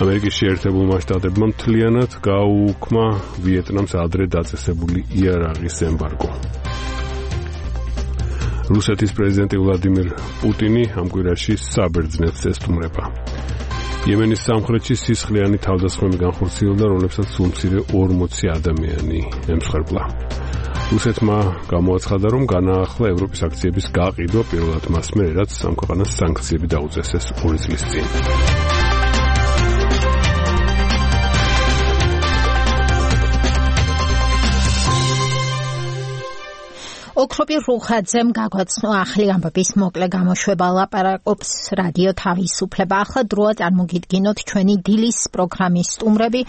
ამერიკის შეერთებულმა შტატებმა მთლიანად გააუქმა ვიეტნამს ადრე დაწესებული იარაღის ემბარგო. რუსეთის პრეზიდენტი ვლადიმირ პუტინი ამ კვირაში საბერძნეთს ესტუმრება. იემენის სამხრეთში სისხლიანი თავდასხმები განხორციელდა, რომლებსაც სულ მცირე 40 ადამიანი ემსხვერპლა. რუსეთმა გამოაცხადა, რომ განაახლა ევროპის აქციების გაყიდვა პირველად მას მერე, რაც ამ ქვეყანას სანქციები დაუწესეს 2 წლის წინ. ოქროპი რუხაძემ გაგვაცნო ახალი ამბების მოკლე გამოშვება. ლაპარაკობს რადიო თავისუფლება. ახლა დროა წარმოგიდგინოთ ჩვენი დილის პროგრამის სტუმრები,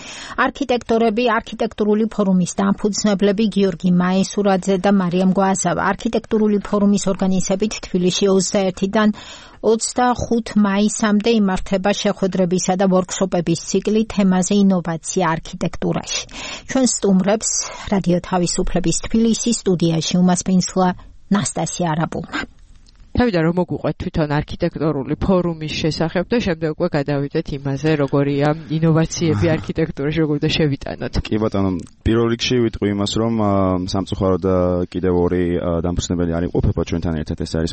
არქიტექტორები, არქიტექტურული ფორუმის დამფუძნებლები გიორგი მაესურაძე და მარიამ გვაზავა. არქიტექტურული ფორუმის ორგანიზებით თბილისში 21-დან 25 მაისამდე იმართება შეხვედრებისა და ვორქშოპების ციკლი თემაზე ინოვაცია არქიტექტურაში. ჩვენ სტუმრებს რადიო თავისუფლების თბილისის სტუდიაში უმასპინძლა ნასტასია არაბულმა. თავიდან რომ მოგვიყვეთ თვითონ არქიტექტურული ფორუმის შესახებ და შემდეგ უკვე გადავიდეთ იმაზე, როგორია ინოვაციები არქიტექტურაში, როგორ და შევიტანოთ. კი ბატონო, პირველ რიგში ვიტყვი იმას, რომ სამწუხაროდ კიდევ 2 დამფუძნებელი არ იყოფება ჩვენთან ერთად, ეს არის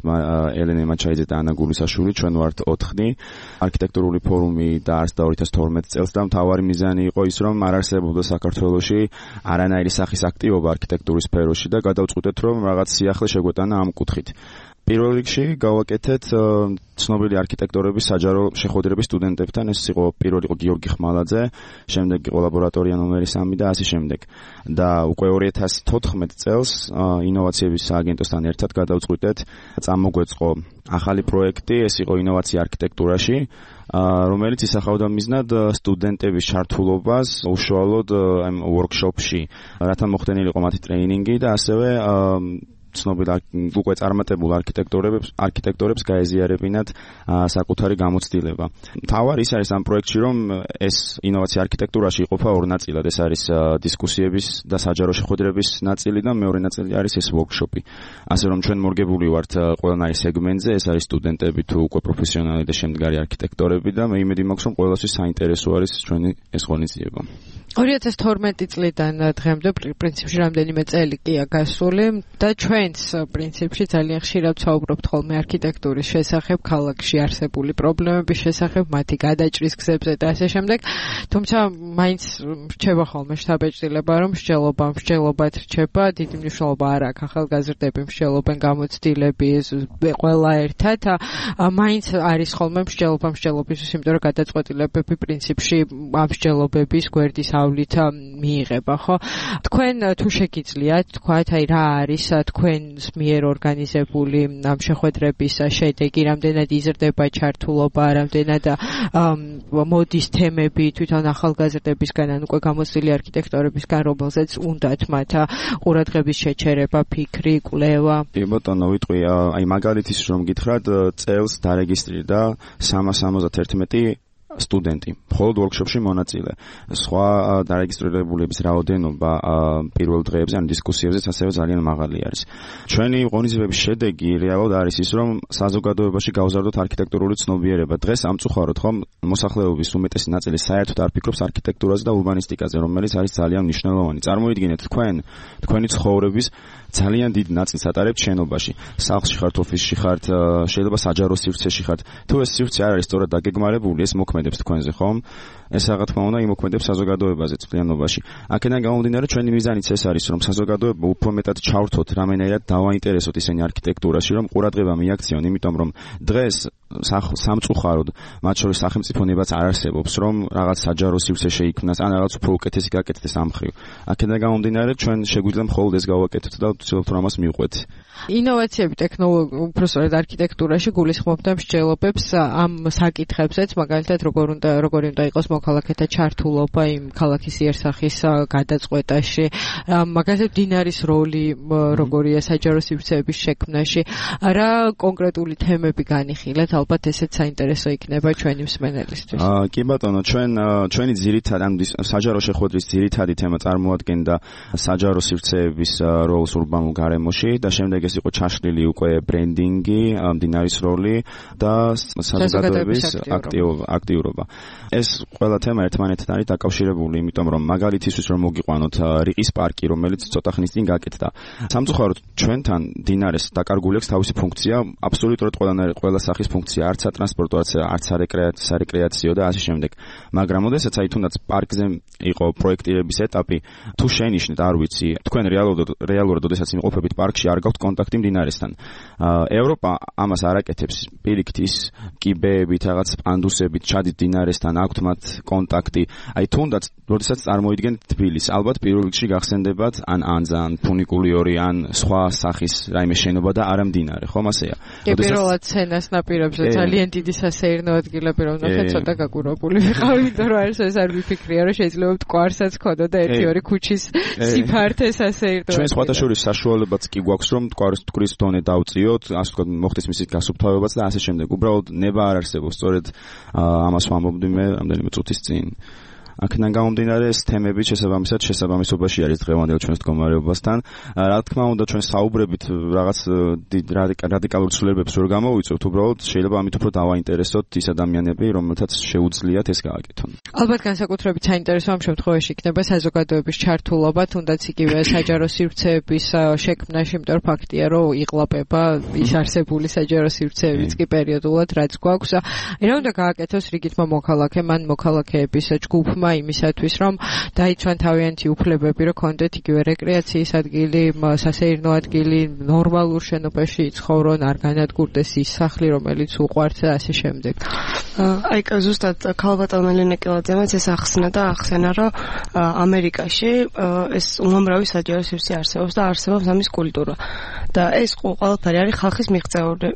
ელენე მაჩაიძე და ანა გულისაშვილი, ჩვენ ვართ 4. არქიტექტურული ფორუმი დაარსდა 2012 წელს და მთავარი მიზანი იყო ის, რომ არ არსებობდა საქართველოში არანაირი სახის აქტივობა არქიტექტურის სფეროში და გადავწყვიტეთ, რომ რაღაც სიახლე შეგვეტანა ამ კუთხით. პირველ რიგში გავაკეთეთ ცნობილი არქიტექტორების საჯარო შეხვედრები სტუდენტებთან. ეს იყო პირველი იყო გიორგი ხმალაძე, შემდეგ იყო ლაბორატორია ნომერი 3 და ასე შემდეგ. და უკვე 2014 წელს ინოვაციების სააგენტოსთან ერთად გადავწყვიტეთ წამოგვეწყო ახალი პროექტი, ეს იყო ინოვაცია არქიტექტურაში, რომელიც ისახავდა მიზნად სტუდენტების ჩართულობას უშუალოდ ამ ვორქშოპში, რათა მოხდენილიყო მათი ტრეინინგი და ასევე ცნობილ უკვე წარმატებულ არქიტექტორებს გაეზიარებინათ საკუთარი გამოცდილება. მთავარი ის არის ამ პროექტში, რომ ეს ინოვაცია არქიტექტურაში იყოფა 2 ნაწილად. ეს არის დისკუსიების და საჯარო შეხვედრების ნაწილი და მეორე ნაწილი არის ეს ვორქშოპი. ასე რომ ჩვენ მორგებული ვართ ყველანაირ სეგმენტზე, ეს არის სტუდენტები თუ უკვე პროფესიონალი და შემდგარი არქიტექტორები და მე იმედი მაქვს, რომ ყველასთვის საინტერესო არის ჩვენი ეს ღონისძიება. 2012 წლიდან დღემდე პრინციპში რამდენიმე წელი კია გასული და ჩვენც პრინციპში ძალიან ხშირად ვსაუბრობთ ხოლმე არქიტექტურის შესახებ, ქალაქში არსებული პრობლემების შესახებ, მათი გადაჭრის გზებზე და ასე შემდეგ. თუმცა მაინც რჩება ხოლმე შთაბეჭდილება, რომ მსჯელობად რჩება, დიდი მნიშვნელობა არ აქვს ახალგაზრდები მსჯელობენ გამოცდილები, ყველა ერთად, მაინც არის ხოლმე მსჯელობისთვის, იმიტომ რომ გადაწყვეტილებები პრინციპში ამ მსჯელობების გვერდის დასავლით მიიღება, ხო? თქვენ თუ შეგიძლიათ თქვათ, აი რა არის თქვენს მიერ ორგანიზებული ამ შეხვედრების შედეგი, რამდენად იზრდება ჩართულობა, რამდენად მოდის თემები თვითონ ახალგაზრდებისგან, ან უკვე გამოცდილი არქიტექტორებისგან, რომელზეც უნდათ მათ ყურადღების შეჩერება, ფიქრი, კვლევა. კი ბატონო, ვიტყვი, აი მაგალითის რომ გითხრათ, წელს დარეგისტრირდა 371 სტუდენტი, მხოლოდ ვორქშოპში მონაწილე. სხვა დარეგისტრირებულების რაოდენობა პირველ დღეებზე, ან დისკუსიებზეც ასევე ძალიან მაღალი არის. ჩვენი ღონისძიებების შედეგი რეალურად არის ის, რომ საზოგადოებაში გავზარდოთ არქიტექტურული ცნობიერება. დღეს ამწუხაროთ, ხომ, მოსახლეობის უმეტესი ნაწილი საერთოდ არ ფიქრობს არქიტექტურაზე და ურბანისტიკაზე, რომელიც არის ძალიან მნიშვნელოვანი. წარმოიდგინეთ, თქვენი ცხოვრების ძალიან დიდ ნაწილს ატარებთ შენობაში. სახლში ხართ, ოფისში ხართ, შეიძლება საჯარო სივრცეში ხართ. თუ ეს სივრცე არ არის სწორად დაგეგმარებული, ეს მოქმედებს თქვენზე, ხომ? ეს რა თქმა უნდა იმოქმედებს საზოგადოებაზე წლიანობაში. აქედან გამომდინარე, ჩვენი მიზანიც ეს არის, რომ საზოგადოება უფრო მეტად ჩავრთოთ, რამენერად დავაინტერესოთ ისინი არქიტექტურაში, რომ ყურადღება მიაქციონ, იმიტომ რომ დღეს სამწუხაროდ, მათ შორის სახელმწიფონებაც არ არსებობს, რომ რაღაც საჯარო სივრცე შეიქმნას, ან რაღაც უფრო უკეთესი გაკეთდეს ამ მხრივ. აქედან გამომდინარე, ჩვენ შეგვიძლია მხოლოდ ეს გავაკეთოთ და ვცდილობთ რომ ამას მივყვეთ. ინოვაციები ტექნოლოგია უფრო სწორედ არქიტექტურაში გულისხმობდა მსჯელობებს ამ საკითხებზეც, მაგალითად როგორი უნდა იყოს მოქალაქეთა ჩართულობა იმ ქალაქის იერსახის გადაწყვეტაში, მაგალითად დინარის როლი როგორია საჯარო სივრცეების შექმნაში, რა კონკრეტული თემები განიხილეთ, ალბათ ესეც საინტერესო იქნება ჩვენი მსმენელისთვის. კი ბატონო, ჩვენი ძირითადი ან საჯარო შეხვედრის ძირითადი თემა წარმოადგენდა საჯარო სივრცეების როლს ურბანულ გარემოში და შემდეგ ეს იყო ჩაშლილი უკვე ბრენდინგი, დინარის როლი და საზოგადოების აქტიურობა. ეს ყველა თემა ერთმანეთთან არის დაკავშირებული, იმიტომ რომ მაგალითისთვის რომ მოგიყვანოთ რიყის პარკი, რომელიც ცოტა ხნის წინ გაკეთდა. სამწუხაროდ ჩვენთან დინარეს დაკარგული აქვს თავისი ფუნქცია, აბსოლუტურად ყველა სახის ფუნქცია, არც სატრანსპორტო, არც სარეკრეაციო და ასე შემდეგ. მაგრამ ოდესაც აი თუნდაც პარკზე იყო პროექტირების ეტაპი, თუ შენიშნეთ, არ ვიცი, თქვენ რეალურად ოდესაც იმყოფებით პარკში, არ გაქვთ კონტაქტი მდინარესთან. ევროპა ამას არ აკეთებს, პირიქით ის კიბეებით, რაღაც პანდუსებით ჩადით დინარესთან, აქვთ მათ კონტაქტი. აი თუნდაც როდესაც წარმოიდგენთ თბილისს, ალბათ პირველ რიგში გახსენდებათ ან ანზა, ან ფუნიკულიორი, ან სხვა სახის რაიმე შენობა და არა მდინარე, ხომ ასეა? პირველად სცენას ნაპირებზე ძალიან დიდი სასეირნო ადგილები რომ ნახეთ, ცოტა გაგურებული ვიყავი, იმიტომ რომ ეს არ ვიფიქრია, რომ შეიძლება მტკვარსაც ქონოდა და 1-2 ქუჩის სიფართე სასეირნო. ჩვენ სხვათა შორის საშუალებაც კი გვაქვს, რომ მტკვრის დონე დავწიოთ, ასე ვთქვათ, მოხდეს მისი გასუფთავებაც და ასე შემდეგ. უბრალოდ ნება არ არსებობს, სწორედ ამას ვამბობდი მე რამდენიმე წუთის წინ. აქედან გამომდინარე, ეს თემები შესაბამისობაში არის დღევანდელ ჩვენს მდგომარეობასთან. რა თქმა უნდა, ჩვენ საუბრებით რაღაც რადიკალურ ცვლილებებს ვერ გამოვიწევთ, უბრალოდ შეიძლება ამით უფრო დავაინტერესოთ ის ადამიანები, რომელთაც შეუძლიათ ეს გააკეთონ. ალბათ განსაკუთრებით საინტერესო ამ შემთხვევაში იქნება საზოგადოების ჩართულობა, თუნდაც იგივე საჯარო სივრცეების შექმნაში, იმიტომ რომ ფაქტია, რომ იყლაპება ის არსებული საჯარო სივრცეებიც კი პერიოდულად, რაც გვაქვს. რა უნდა გააკეთოს რიგითმა მოქალაქემ, ან მოქალაქეების ჯგუფმა იმისათვის, რომ დაიცვან თავიანთი უფლებები, რომ კონდეთ იგივე რეკრეაციის ადგილი, სასეირნო ადგილი, ნორმალურ შენობაში იცხოვრონ, არ განადგურდეს ის სახლი, რომელიც უყვართ და ასე შემდეგ. აი ზუსტად ქალბატონი ნეკელაძემაც ეს ახსნა, რომ ამერიკაში ეს უამრავი საჯარო სივრცე არსებობს და არსებობს ამის კულტურა. და ეს ყველაფერი არის ხალხის მიღწეული.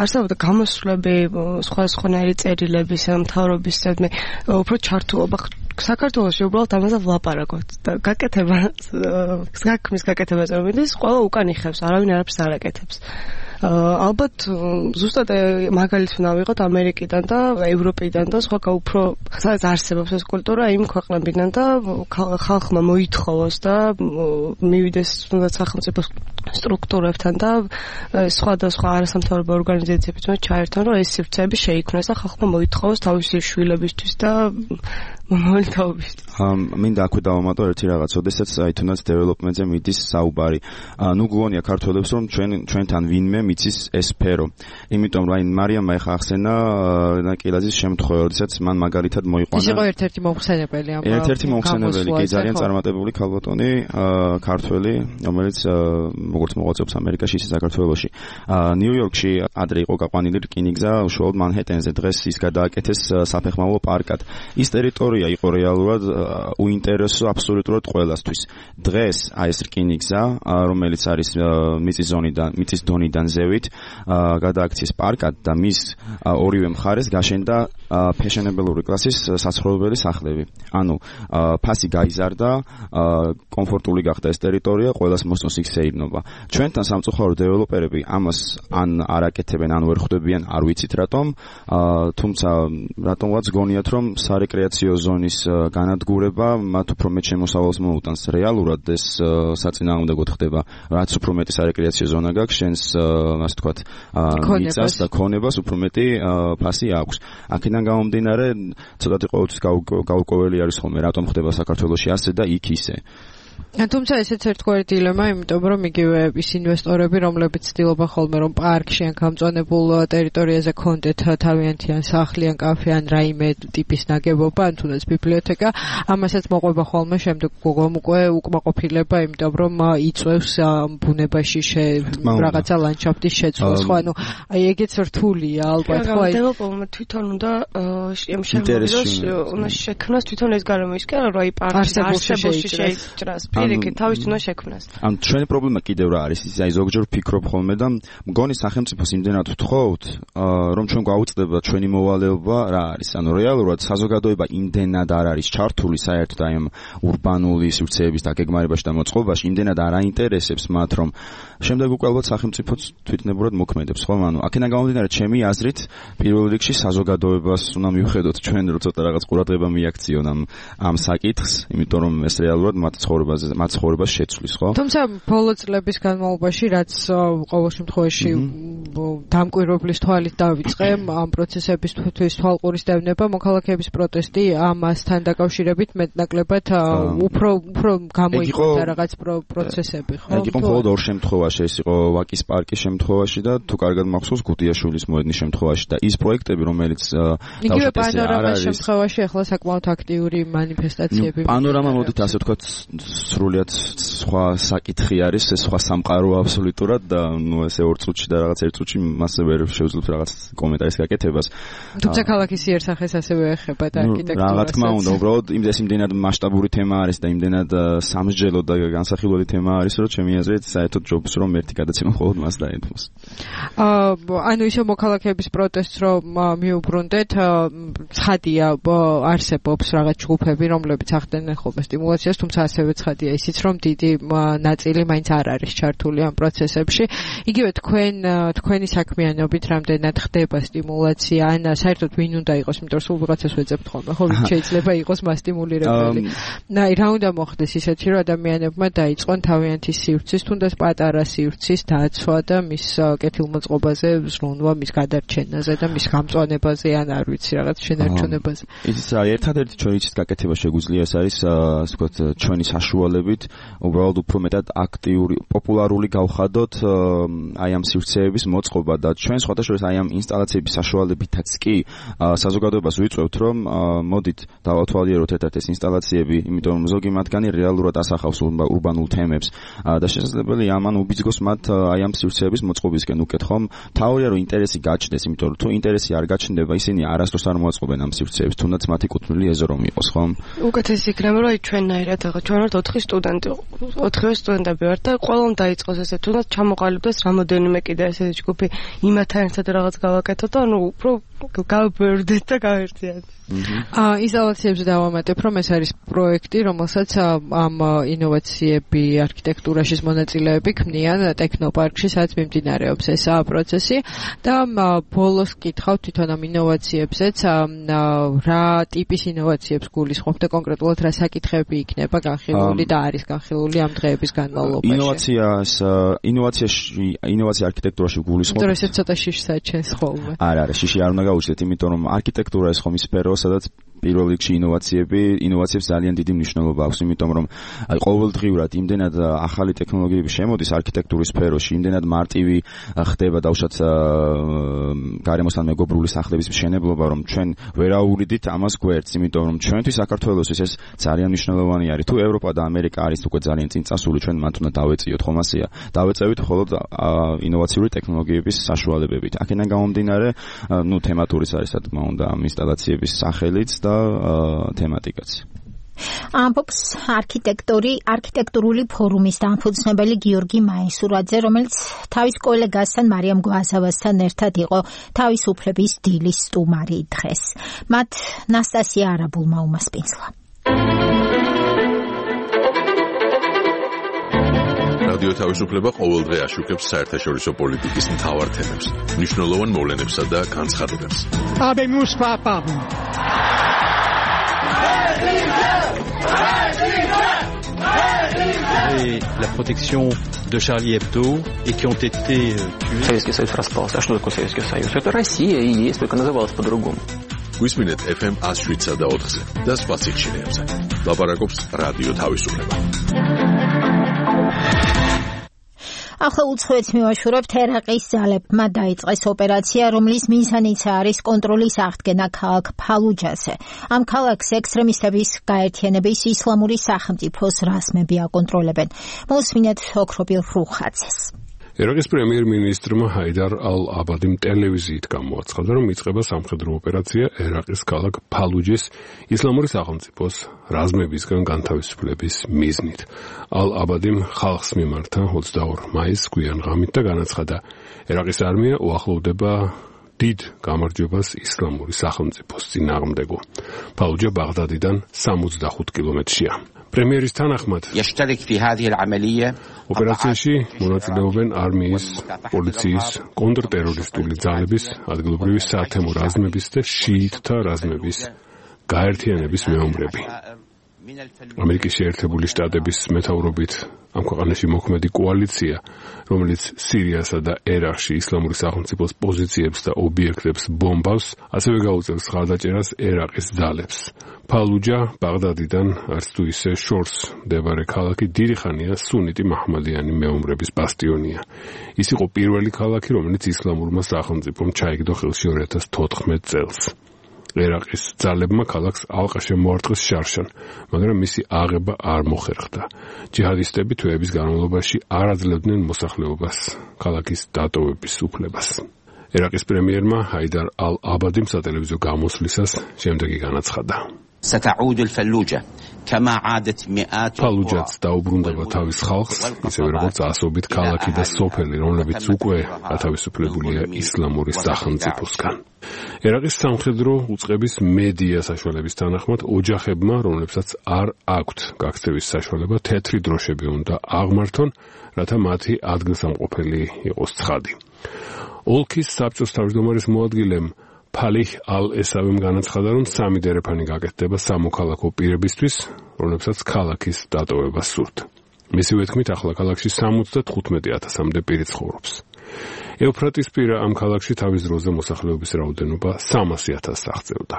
არსებობდა გამოსვლები, სხვადასხვანაირი წერილების, მთავრობის უფრო ჩართულობა საქართველოში უბრალოდ ამაზე ვლაპარაკობთ და გაკეთება საქმის გაკეთებას რომ მიდის, ყველა უკან იხევს, არავინ არაფერს არ აკეთებს. ალბათ ზუსტად მაგალითს უნდა ვიღოთ ამერიკიდან და ევროპიდან და სხვა უფრო სადაც არსებობს ეს კულტურა იმ ქვეყნებიდან და ხალხმა მოითხოვოს და მივიდეს თუნდაც სახელმწიფო სტრუქტურებთან და სხვადასხვა არასამთავრობო ორგანიზაციებიც ჩაერთონ, რომ ეს სივრცეები შეიქმნას და ხალხმა მოითხოვოს თავისი შვილებისთვის და მომავალთაობისთვის. მინდა აქვე დავამატო ერთი რაღაც, ოდესაც აი თუნდაც დეველოპმენტზე მიდის საუბარი. ნუ გონია ქართველებს, რომ ჩვენთან ვინმე მიცის ეს სფერო. იმიტომ რომ მარიამმა ეხა ახსენა კილაძის შემთხვევა, როდესაც მან მაგალითად მოიყვანა. ის იყო ერთ-ერთი მომხსენებელი ამ. ერთ-ერთი მომხსენებელი, კი ძალიან წარმატებული ქალბატონი, ქართველი, რომელიც როგორც მოღვაწეობს ამერიკაში, ისე საქართველოში. ნიუ-იორკში ადრე იყო გაყვანილი რკინიგზა, უშუალოდ მანჰეტენზე, დღეს ის გადააკეთეს საფეხმავლო პარკად. ის ტერიტორია იყო რეალურად უინტერესო აბსოლუტურად ყველასთვის. დღეს აი ეს რკინიგზა, რომელიც არის მიწის დონიდან ზევით, გადააქცეს პარკად და მის ორივე მხარეს გაშენდა ფეშენებელური კლასის საცხოვრებელი სახლები. ანუ ფასი გაიზარდა, კომფორტული გახდა ეს ტერიტორია, ყველას მოსწონს იქ შეიბრუნება. ჩვენთან სამწუხარო დეველოპერები ამას ან არ აკეთებენ, ან ვერ ხვდებიან, არ ვიცით რატომ, თუმცა რატომღაც გონიათ, რომ სარეკრეაციო ზონის განადგურება მათ უფრო მეტ შემოსავალს მოუტანს. რეალურად ეს საწინააღმდეგოდ ხდება, რაც უფრო მეტი სარეკრეაციო ზონა გაქვს, შენს ასე ვთქვათ, მიწას და ქონებას უფრო მეტი ფასი აქვს. აქედან გამომდინარე, ცოტათი ყოველთვის გაურკვეველი არის ხოლმე, რატომ ხდება საქართველოში ასე და იქ ისე. თუმცა ესეც ერთგვარი დილემა, იმიტომ რომ იგივე ის ინვესტორები, რომლებიც ცდილობენ ხოლმე რომ პარკში ან გამწვანებულ ტერიტორიაზე კონდეთ თავიანთი ან სახლი ან კაფე ან რაიმე ტიპის ნაგებობა, ან თუნდაც ბიბლიოთეკა, ამასაც მოყვება ხოლმე შემდეგ უკვე უკმაყოფილება, იმიტომ რომ იწევს ბუნებაში რაღაცა ლანდშაფტის შეცვლას, ხო, ანუ აი ეგეც რთულია ალბათ, ხო, აი დეველოპერმა თვითონ უნდა შემოგვიდეს, უნდა შექმნას თვითონ ეს გარემოისკენ, რომ აი პარკში არსებულში შეიჭრას. პირიქით თავის უნდა შექმნას. ან ჩვენი პრობლემა კიდევ რა არის? ის აი ზოგჯერ ვფიქრობ ხოლმე და მგონი სახელმწიფოს იმდენად ვთხოვთ, რომ ჩვენ გვაუწყდება ჩვენი მოვალეობა რა არის. ანუ რეალურად საზოგადოება იმდენად არ არის ჩართული საერთოდ აი ამ ურბანული სივრცეების დაგეგმარებაში და მოწყობაში, იმდენად არ აინტერესებს მათ, რომ შემდეგ უკვე ალბათ სახელმწიფოც თვითნებურად მოქმედებს, ხო? ანუ აქედან გამომდინარე, ჩემი აზრით, პირველ რიგში საზოგადოებას უნდა მივხედოთ ჩვენ, რომ ცოტა რაღაც ყურადღება მიაქციონ ამ საკითხს, იმიტომ რომ ეს რეალურად მათ ცხოვრებას შეცვლის, ხო? თუმცა ბოლო წლების განმავლობაში, რაც ყოველ შემთხვევაში დამკვირვებლის თვალით დავიწყე ამ პროცესებისთვის თვალყურის დევნება, მოქალაქეების პროტესტი ამასთან დაკავშირებით მეტნაკლებად უფრო გამოიკვეთა რაღაც პროცესები, ხო? ეგ იყო მხოლოდ ორ შემთხვევაში, ეს იყო ვაკის პარკის შემთხვევაში და თუ კარგად მახსოვს გუდიაშვილის მოედნის შემთხვევაში და ის პროექტები, რომელიც იგივე პანორამას შემთხვევაში ახლა საკმაოდ აქტიური მანიფესტაციები. პანორამა მოდით ასე ვთქვათ სრულიად სხვა საკითხი არის, ეს სხვა სამყარო აბსოლუტურად და ნუ ესე ორ წუთში და რაღაც ერთ წუთში მასზე ვერ შევძლებ რაღაც კომენტარის გაკეთებას. თუმცა ქალაქის იერსახეს ასევე ეხება და არქიტექტურას. რა თქმა უნდა, უბრალოდ იმდენად მასშტაბური თემა არის და იმდენად სამსჯელო და განსახილველი თემა არის, რომ ჩემი აზრით საერთოდ ჯობს რომ ერთი გადაცემა მხოლოდ მას დაეთმოს. ანუ ისე მოქალაქეების პროტესტს რომ მიუბრუნდეთ, ცხადია არსებობს რაღაც ჯგუფები, რომლებიც ახდენენ ხოლმე სტიმულაციას, თუმცა ასევე ცხადია ისიც, რომ დიდი ნაწილი მაინც არ არის ჩართული ამ პროცესებში. იგივე თქვენი საქმიანობით რამდენად ხდება სტიმულაცია, ან საერთოდ ვინ უნდა იყოს, იმიტომ რომ სულ ვიღაცას ვეძებთ ხოლმე, ხო, ვინ შეიძლება იყოს მასტიმულირებელი. აი, რა უნდა მოხდეს ისეთი, რომ ადამიანებმა დაიწყონ თავიანთი სივრცის, თუნდაც პატარა სივრცის დაცვა და მის კეთილმოწყობაზე ზრუნვა, მის გადარჩენაზე და მის გამწვანებაზე, ან არ ვიცი, რაღაც შენარჩუნებაზე. ის ერთადერთი ჩვენი გაკეთება შეგვიძლია ეს არის, ასე ვთქვათ, ჩვენი საშუალებით უბრალოდ უფრო მეტად აქტიური, პოპულარული გავხადოთ აი ამ სივრცეების მოწყობა და ჩვენ სხვადასხვა აი ამ ინსტალაციების საშუალებითაც კი საზოგადოებას ვიწევთ, რომ მოდით დავათვალიეროთ ერთ-ერთ ეს ინსტალაციები, იმიტომ რომ ზოგი მათგანი რეალურად ასახავს ურბანულ თემებს და შესაძლებელია ამან უბიძგოს მათ აი ამ სივრცეების მოწყობისკენ უკეთ, ხომ? თავია რომ ინტერესი გაჩნდეს, იმიტომ რომ თუ ინტერესი არ გაჩნდება, ისინი არასდროს არ მოაწყობენ ამ სივრცეებს, თუნდაც მათი კუთვნილი ეზო რომ იყოს, ხომ? უკეთესი იქნება, რომ აი ჩვენნაირად ახლა ჩვენ ვართ 4 სტუდენტი, 4 სტუდენტები ვართ და ყველამ დაიწყოს ესე, თუნდაც ჩამოყალიბდეს რამოდენიმე კიდე ესეთი ჯგუფი, იმათთან ერთად რაღაც გავაკეთოთ და ანუ უფრო გავბერდეთ და გავერთიათ. ინსტალაციებზე დავამატებ, რომ ეს არის პროექტი, რომელსაც ამ ინოვაციები არქიტექტურაში მონაწილეები ქმნიან ტექნოპარკში, სადაც მიმდინარეობს ეს პროცესი და ბოლოს კითხავ თვითონ ამ ინოვაციებზეც, რა ტიპის ინოვაციებს გულისხმობ და კონკრეტულად რა საკითხები იქნება განხილული და არის განხილული ამ დღეების განმავლობაში. ინოვაცია არქიტექტურაში გულისხმობ. იმიტომ რომ ეს ცოტა შიშს აჩენს ხოლმე. არა, შიში არ უნდა გაუჩნდეთ, იმიტომ რომ არქიტექტურა ეს ხომ ის სფეროა, სადაც პირველ რიგში ინოვაციებს ძალიან დიდი მნიშვნელობა აქვს, იმიტომ რომ აი ყოველდღიურად იმდენად ახალი ტექნოლოგიები შემოდის არქიტექტურის სფეროში, იმდენად მარტივი ხდება დაუშვათ გარემოსთან მეგობრული სახლების მშენებლობა, რომ ჩვენ ვერ აურიდით ამას გვერდს, იმიტომ რომ ჩვენთვის საქართველოსთვის ეს ძალიან მნიშვნელოვანი არის. თუ ევროპა და ამერიკა არის უკვე ძალიან წინ წასული, ჩვენ მათ უნდა დავეწიოთ, ხომ ასეა. დავეწევით მხოლოდ ინოვაციური ტექნოლოგიების საშუალებებით. აქედან გამომდინარე, თემატურის არის, რა თქმა უნდა, ამ ინსტალაციების სახელიც და თემატიკაც. ამბობს არქიტექტურული ფორუმის დამფუძნებელი გიორგი მაისურაძე, რომელიც თავის კოლეგასთან მარიამ გვაზავასთან ერთად იყო თავისუფლების დილის სტუმარი დღეს. მათ ნასტასია არაბულმა უმასპინძლა. რადიო თავისუფლება ყოველდღე აშუქებს საერთაშორისო პოლიტიკის მთავარ თემებს, მნიშვნელოვან მოვლენებსა და განცხადებებს. Habemus papam. Et la protection de Charlie Hebdo et qui ont été tués. Советский Союз распался. А что такое Советский Союз? Это Россия и есть, только называлась по-другому. გვისმინეთ FM 107 და 4-ზე და სხვა სიხშირეებზე. ლაპარაკობს რადიო თავისუფლება. ახლა უცხოეთს მივაშურებთ. ერაყის ძალებმა დაიწყეს ოპერაცია, რომლის მიზანიც არის კონტროლის აღდგენა ქალაქ ფალუჯაზე. ამ ქალაქს ექსტრემისტების გაერთიანების ისლამური სახელმწიფოს რაზმები აკონტროლებენ. მოსმინეთ ოქროპილ რუხაძეს. ერაყის პრემიერ-მინისტრმა ჰაიდარ ალ-აბადიმ ტელევიზიით გამოაცხადა, რომ იწყება სამხედრო ოპერაცია ერაყის ქალაქ ფალუჯის ისლამური სახელმწიფოს რაზმებისგან განთავისუფლების მიზნით. ალ-აბადიმ ხალხს მიმართა 22 მაისს გვიან ღამით და განაცხადა, ერაყის არმია უახლოვდება დიდ გამარჯვებას ისლამური სახელმწიფოს წინააღმდეგო. ფალუჯა ბაღდადიდან 65 კილომეტრშია. პრემიერის თანახმად ოპერაციაში მონაწილეობენ არმიის, პოლიციის, კონტრტერორისტული ძალების, ადგილობრივი საათემო რაზმების და შიიტთა რაზმების გაერთიანების მეომრები. ამერიკის შეერთებული შტატების მეთაურობით ამ ქვეყანაში მოქმედი კოალიცია, რომელიც სირიასა და ერაყში ისლამური სახელმწიფოს პოზიციებს და ობიექტებს ბომბავს, ასევე გაუწევს ხარდაჭერას ერაყის ძალებს. ფალუჯა ბაღდადიდან არც თუ ისე შორს მდებარე ქალაქი დიდი ხანია სუნიტი მაჰმადიანი მეომრების ბასტიონია. ის იყო პირველი ქალაქი, რომელიც ისლამურმა სახელმწიფომ ჩაიგდო ხელში 2014 წელს. ერაყის ძალებმა ქალაქს ალყა შემოარტყეს შარშან, მაგრამ მისი აღება არ მოხერხდა. ჯიჰადისტები თვეების განმავლობაში არ აძლევდნენ მოსახლეობას ქალაქის დატოვების უფლებას. ერაყის პრემიერმა ჰაიდარ ალ-აბადიმ სატელევიზიო გამოსვლისას შემდეგი განაცხადა. ფალუჯაც დაუბრუნდება თავის ხალხს, ისევე როგორც ასობით ქალაქი და სოფელი, რომლებიც უკვე გათავისუფლებულია ისლამური სახელმწიფოსგან. ერაყის სამხედრო უწყების მედია საშუალების თანახმად, ოჯახებმა, რომლებსაც არ აქვთ გაქცევის საშუალება, თეთრი დროშები უნდა აღმართონ, რათა მათი ადგილსამყოფელი იყოს ცხადი. ოლქის საბჭოს თავმჯდომარის მოადგილემ ფალიხ ალ-ესავემ განაცხადა, რომ 3 დერეფანი გაკეთდება სამოქალაქო პირებისთვის, რომლებსაც ქალაქის დატოვება სურთ. მისივე თქმით, ახლა ქალაქში 75,000-მდე პირი ცხოვრობს. ეუფრატისპირა ამ ქალაქში თავის დროზე მოსახლეობის რაოდენობა 300,000-ს აღწევდა.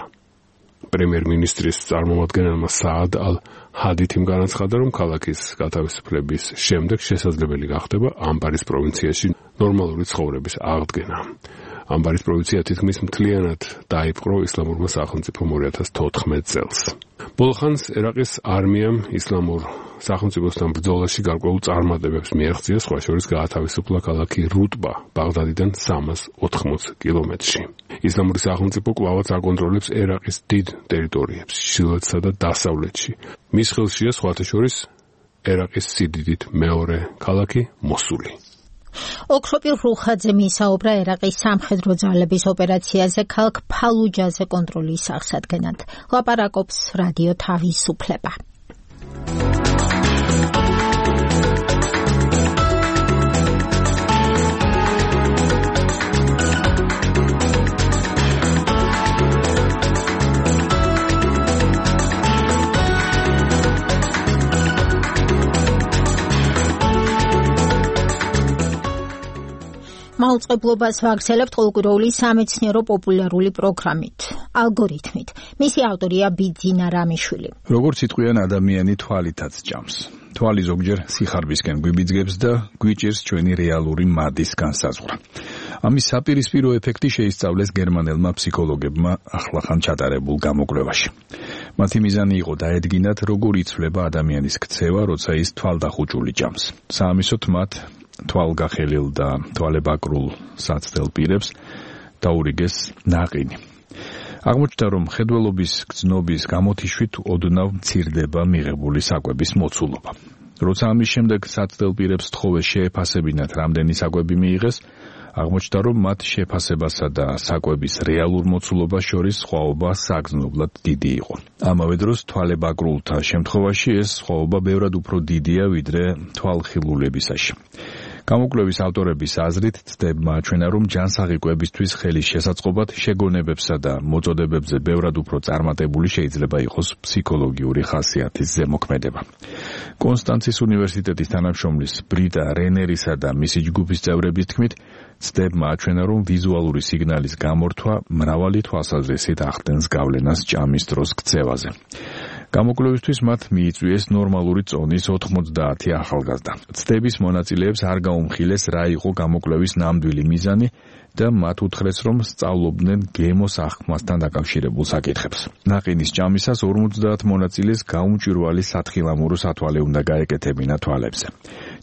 პრემიერ-მინისტრის წარმომადგენელმა საად ალ-ჰადითიმ განაცხადა, რომ ქალაქის გათავისუფლების შემდეგ შესაძლებელი გახდება ამბარის პროვინციაში ნორმალური ცხოვრების აღდგენა. ამბარის პროვინცია თითქმის მთლიანად დაიპყრო ისლამურმა სახელმწიფომ 2014 წელს. ბოლხანს ერაყის არმიამ ისლამურ სახელმწიფოსთან ბრძოლაში გარკვეულ წარმატებებს მიაღწია, სხვა შორის გაათავისუფლა ქალაქი რუტბა ბაღდადიდან 380 კილომეტრში. ისლამური სახელმწიფო კვლავაც აკონტროლებს ერაყის დიდ ტერიტორიებს, ჩრდილოეთსა და დასავლეთში. მის ხელშია სხვათა შორის ერაყის სიდიდით მეორე ქალაქი მოსული. ოქროპილ რუხაძე მისაუბრა ერაყის სამხედრო ძალების ოპერაციაზე ქალაქ ფალუჯაზე კონტროლის აღსადგენად. ლაპარაკობს რადიო თავისუფლება. მაუწყებლობას ვაგრძელებთ ყოველკვირეული სამეცნიერო პოპულარული პროგრამით. ალგორითმით. მისი ავტორია ბიძინა რამიშვილი. როგორც იტყვიან ადამიანი თვალითაც ჭამს. თვალი ზოგჯერ სიხარბისკენ გვიბიძგებს და გვიჭირს ჩვენი რეალური მადის განსაზღვრა. ამის საპირისპირო ეფექტი შეისწავლეს გერმანელმა ფსიქოლოგებმა ახლახან ჩატარებულ გამოკვლევაში. მათი მიზანი იყო დაედგინათ, როგორ იცვლება ადამიანის ქცევა, როცა ის თვალდახუჭული ჭამს. საამისოდ მათ თვალგახელილ და თვალებაკრულ საცდელ პირებს დაურიგეს ნაყინი. აღმოჩნდა, რომ ხედველობის გრძნობის გამოთიშვით ოდნავ მცირდება მიღებული საკვების მოცულობა. როცა ამის შემდეგ საცდელ პირებს თხოვეს შეეფასებინათ, რამდენი საკვები მიიღეს, აღმოჩნდა, რომ მათ შეფასებასა და საკვების რეალურ მოცულობას შორის სხვაობა საგრძნობლად დიდი იყო. ამავე დროს თვალებაკრულთა შემთხვევაში ეს სხვაობა ბევრად უფრო დიდია, ვიდრე თვალხილულებისაში. გამოკვლევის ავტორების აზრით ცდებმა აჩვენა, რომ ჯანსაღი კვებისთვის ხელის შესაწყობად შეგონებებსა და მოწოდებებზე ბევრად უფრო წარმატებული შეიძლება იყოს ფსიქოლოგიური ხასიათის ზემოქმედება. კონსტანცის უნივერსიტეტის თანამშრომლის ბრიტა რენერისა და მისი ჯგუფის წევრების თქმით, ცდებმა აჩვენა, რომ ვიზუალური სიგნალის გამორთვა მრავალი თვალსაზრისით ახდენს გავლენას ჭამის დროს ქცევაზე. გამოკვლევისთვის მათ მიიწვიეს ნორმალური წონის 90 ახალგაზრდა. ცდების მონაწილეებს არ გაუმხილეს, რა იყო გამოკვლევის ნამდვილი მიზანი და მათ უთხრეს, რომ სწავლობდნენ გემოს აღქმასთან დაკავშირებულ საკითხებს. ნაყინის ჭამისას 50 მონაწილეს გაუმჭვირვალი სათხილამურო სათვალე უნდა გაეკეთებინა თვალებზე.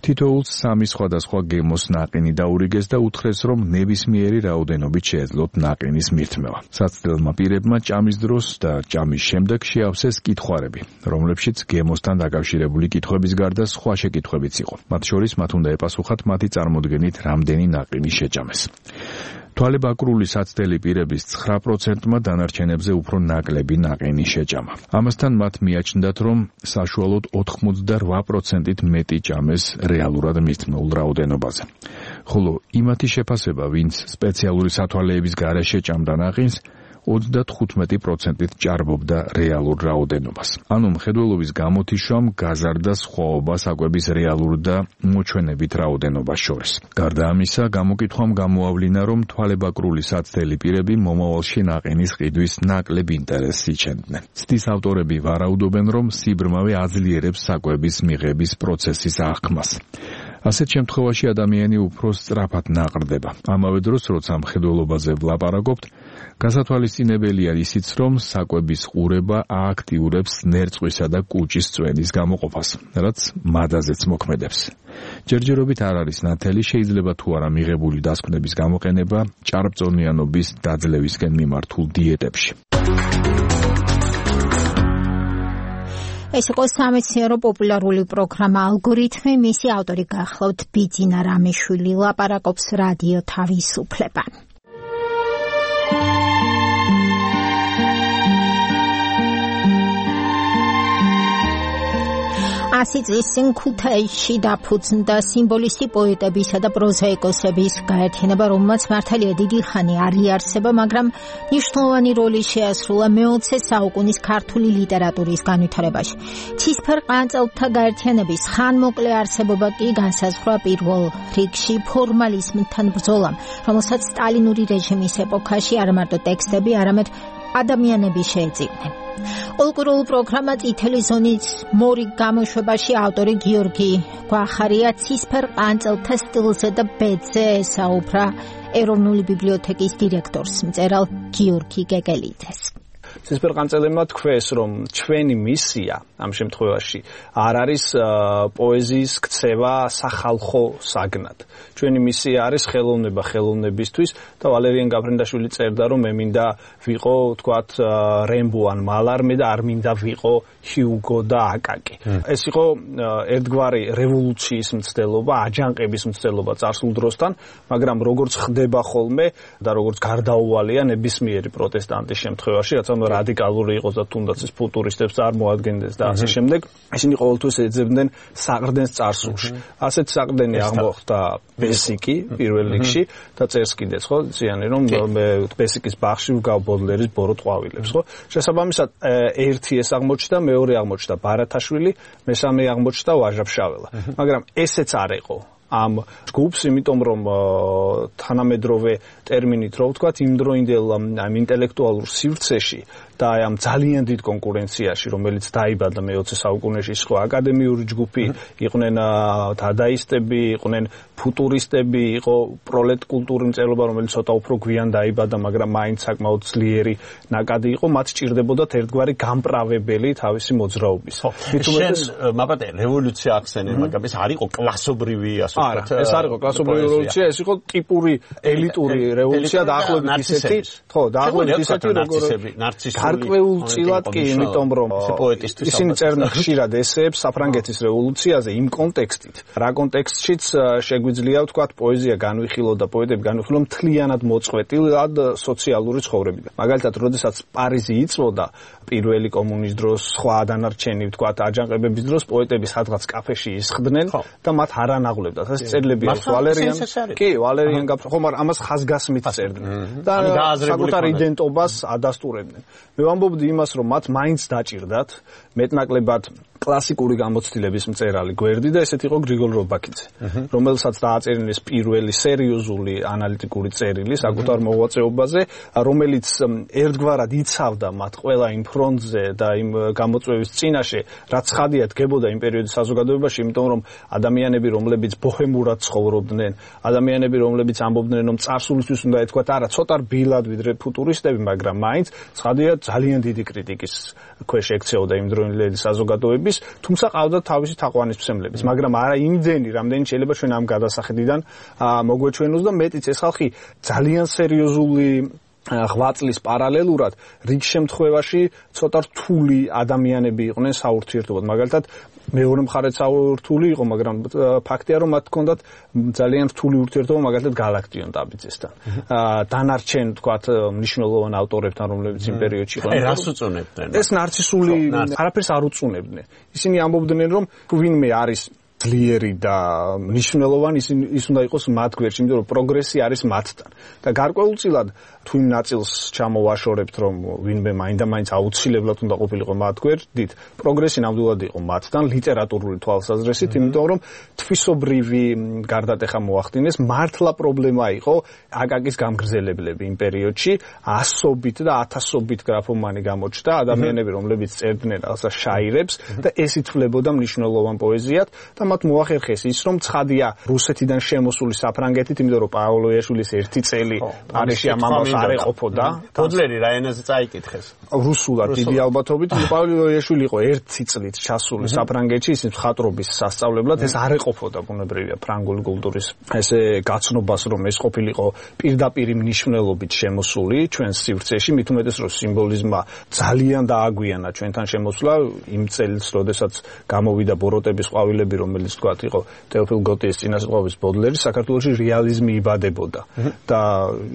თითოეულს 3 სხვადასხვა გემოს ნაყინი დაურიგეს და უთხრეს, რომ ნებისმიერი რაოდენობით შეეძლოთ ნაყინის მირთმევა. საცდელმა პირებმა ჭამის დროს და ჭამის შემდეგ შეავსეს კითხვარები, რომლებშიც გემოსთან დაკავშირებული კითხვების გარდა სხვა შეკითხვებიც იყო. მათ შორის მათ უნდა ეპასუხათ მათი წარმოდგენით რამდენი ნაყინი შეჭამეს. თვალებაკრული საცდელი პირების 9%-მა დანარჩენებზე უფრო ნაკლები ნაყინი შეჭამა. ამასთან მათ მიაჩნდათ, რომ საშუალოდ 88%-ით მეტი ჭამეს რეალურად მირთმეულ რაოდენობაზე. ხოლო იმათი შეფასება, ვინც სპეციალური სათვალეების გარეშე ჭამდა ნაყინს, 95%-ით ჭარბობდა რეალურ რაოდენობას. ანუ მხედველობის გამოთიშვამ გაზარდა სხვაობა საკვების რეალურ და მოჩვენებით რაოდენობას შორის. გარდა ამისა, გამოკითხვამ გამოავლინა, რომ თვალებაკრული საცდელი პირები მომავალში ნაყინის ყიდვის ნაკლებ ინტერესს იჩენდნენ. ცდის ავტორები ვარაუდობენ, რომ სიბრმავე აძლიერებს საკვების მიღების პროცესის აღქმას. ასეთ შემთხვევაში ადამიანი უფრო სწრაფად ნაყრდება. ამავე დროს, როცა მხედველობაზე ვლაპარაკობთ, გასათვალისწინებელია ისიც, რომ საკვების ყურება ააქტიურებს ნერწყვისა და კუჭის წვენის გამოყოფას, რაც მადაზეც მოქმედებს. ჯერჯერობით არ არის ნათელი, შეიძლება თუ არა მიღებული დასკვნების გამოყენება ჭარბწონიანობის დაძლევისკენ მიმართულ დიეტებში. ეს იყო სამეცნიერო პოპულარული პროგრამა ალგორითმი, მისი ავტორი გახლავთ ბიძინა რამიშვილი, ლაპარაკობს რადიო თავისუფლება. ასი წლის წინ ქუთაისში დაფუძნდა სიმბოლისტი პოეტებისა და პროზაიკოსების გაერთიანება, რომელმაც მართალია დიდი ხანი არ იარსება, მაგრამ მნიშვნელოვანი როლი შეასრულა მე-20 საუკუნის ქართული ლიტერატურის განვითარებაში. ცისფერ ყანწელთა გაერთიანების ხანმოკლე არსებობა კი განსაზღვრა პირველ რიგში ფორმალიზმთან ბრძოლამ, რომელსაც სტალინური რეჟიმის ეპოქაში არა მარტო ტექსტები, არამედ ადამიანები შეეძინენ. კულტურულ პროგრამა წითელი ზონის მორიგ გამოშვებაში ავტორი გიორგი გვახარია ცისფერ ყანწელთა სტილზე და ბედზე ესაუბრა ეროვნული ბიბლიოთეკის დირექტორს, მწერალ გიორგი გეგელიძეს. ცისფერ ყანწელებმა თქვეს, რომ ჩვენი მისია ამ შემთხვევაში არ არის პოეზიის ქცევა სახალხო საგნად. ჩვენი მისია არის ხელოვნება ხელოვნებისთვის და ვალერიან გაფრინდაშვილი წერდა, რომ მე მინდა ვიყო, თქვათ, რემბო ან მალარმე და არ მინდა ვიყო ჰიუგო და აკაკი. ეს იყო ერთგვარი რევოლუციის მცდელობა, აჯანყების მცდელობა წარსულ დროსთან, მაგრამ როგორც ხდება ხოლმე და როგორც გარდაუვალია ნებისმიერი პროტესტანტის შემთხვევაში, რაც რადიკალური იყოს და თუნდაც ეს ფუტურისტებს არ მოადგენდეს და ასე შემდეგ, ისინი ყოველთვის ეძებდნენ საყრდენს წარსულში. ასეთ საყრდენი აღმოხდა ბესიკი პირველ რიგში და წერს კიდეც, ხო, ზიანი რომ ბესიკის ბაღში ვგავ ბოდლერის ბორო ტყვავილებს, ხო? შესაბამისად, ერთი ეს აღმოჩნდა, მეორე აღმოჩნდა ბარათაშვილი, მესამე აღმოჩნდა ვაჟა ფშაველა. მაგრამ ესეც არ იყო ამ ჯგუფს, იმიტომ რომ თანამედროვე ტერმინით რო ვთქვათ, იმდროინდელ ამ ინტელექტუალურ სივრცეში და ამ ძალიან დიდ კონკურენციაში, რომელიც დაიბადა მე-20 საუკუნეში, სხვა აკადემიური ჯგუფი იყვნენ დადაისტები, იყვნენ ფუტურისტები, იყო პროლეტ კულტურის მწერლობა, რომელიც ცოტა უფრო გვიან დაიბადა, მაგრამ მაინც საკმაოდ ძლიერი ნაკადი იყო, მათ სჭირდებოდათ ერთგვარი გამправებელი თავისი მოძრაობის. შენ მაბატე რევოლუცია ახსენე, მაგრამ ეს არ იყო კლასობრივი, ასე ვთქვათ. არა, ეს არ იყო კლასობრივი რევოლუცია, ეს იყო ტიპური ელიტური რევოლუცია, დაახლოებით ისეთი, ხო, დაახლოებით ისეთი, როგორ გარკვეულწილად კი, იმიტომ რომ ისინი წერდნენ ხშირად ესეებს საფრანგეთის რევოლუციაზე იმ კონტექსტით, რა კონტექსტშიც შეგვიძლია ვთქვათ პოეზია განვიხილო და პოეტები განვიხილო მთლიანად მოწყვეტილად სოციალური ცხოვრებიდან. მაგალითად, როდესაც პარიზი იწვოდა პირველი კომუნის დროს, სხვა დანარჩენი ვთქვათ აჯანყებების დროს პოეტები სადღაც კაფეში ისხდნენ და მათ არ ანაღლებდათ. ეს წერილები აქვს ვალერიან ხო, მაგრამ ამას ხაზგასმით წერდნენ და საკუთარ იდენტობას ადასტურებდნენ. მე ვამბობდი იმას, რომ მათ მაინც დაჭირდათ მეტნაკლებად კლასიკური გამოცდილების მწერალი გვერდი და ესეთი იყო გრიგოლ რობაქიძე, რომელსაც დააწერინეს პირველი სერიოზული ანალიტიკური წერილი საკუთარ მოღვაწეობაზე, რომელიც ერთგვარად იცავდა მათ ყველა იმ ფრონტზე და იმ გამოწვევის წინაშე, რაც ხადია დგებოდა იმ პერიოდის საზოგადოებაში, იმიტომ რომ ადამიანები, რომლებიც ბოჰემურად ცხოვრობდნენ, ადამიანები, რომლებიც ამბობდნენ, რომ წარსულისთვის უნდა ეთქვათ, არა, ცოტა რბილად ვიდრე ფუტურისტები, მაგრამ მაინც ხადია ძალიან დიდი კრიტიკის ქვეშ ექცეოდა იმ დროინდელი საზოგადოების, თუმცა ყავდა თავისი თაყვანისმცემლებიც, მაგრამ არა იმდენი, რამდენი შეიძლება ჩვენ ამ გადასახედიდან მოგვეჩვენოს და მეტიც ეს ხალხი ძალიან სერიოზული ღვაწლის პარალელურად რიგ შემთხვევაში ცოტა რთული ადამიანები იყვნენ საურთიერთობად. მაგალითად, მეორე მხარეც საურთული იყო, მაგრამ ფაქტია, რომ მათ ჰქონდათ ძალიან რთული ურთიერთობა მაგალითად გალაქტიონ ტაბიძესთან. დანარჩენ, თქვათ, მნიშვნელოვან ავტორებთან, რომლებიც იმ პერიოდში იყვნენ. რას უწუნებდნენ? ეს ნარცისული არაფერს არ უწუნებდნენ. ისინი ამბობდნენ, რომ ვინმე არის ძლიერი და მნიშვნელოვანი, ის უნდა იყოს მათ გვერდში, იმიტომ რომ პროგრესი არის მათთან. და გარკვეულწილად თუ იმ ნაწილს ჩამოვაშორებთ, რომ ვინმე მაინდა-მაინც აუცილებლად უნდა ყოფილიყო მათ გვერდით, პროგრესი ნამდვილად იყო მათთან ლიტერატურული თვალსაზრისით, იმიტომ რომ თვისობრივი გარდატეხა მოახდინეს, მართლა პრობლემა იყო აკაკის გამგრძელებლები იმ პერიოდში, ასობით და ათასობით გრაფომანი გამოჩნდა, ადამიანები, რომლებიც წერდნენ რაღაცა შაირებს და ეს ითვლებოდა მნიშვნელოვან პოეზიად და მათ მოახერხეს ის, რომ ცხადია რუსეთიდან შემოსული საფრანგეთით, იმიტომ რომ პაოლო იაშვილის ერთი წელი პარიზში ამ ამბავს არ ეყოფოდა. ბოდლერი რა ენაზე წაიკითხეს? რუსულად დიდი ალბათობით. პაოლო იაშვილი იყო ერთი წლით ჩასული საფრანგეთში, ის მხატვრობის სასწავლებლად, ეს არ ეყოფოდა ბუნებრივია ფრანგული კულტურის ესე გაცნობას, რომ ეს ყოფილიყო პირდაპირ მნიშვნელობით შემოსული ჩვენს სივრცეში, მით უმეტეს რომ სიმბოლიზმმა ძალიან დააგვიანა ჩვენთან შემოსვლა იმ წელს, როდესაც გამოვიდა ბოროტების ყვავილები, რომელიც თქვათ იყო თეოფილ გოტიეს წინასწარმეტყველების ბოდლერი, საქართველოში რეალიზმი იბადებოდა. და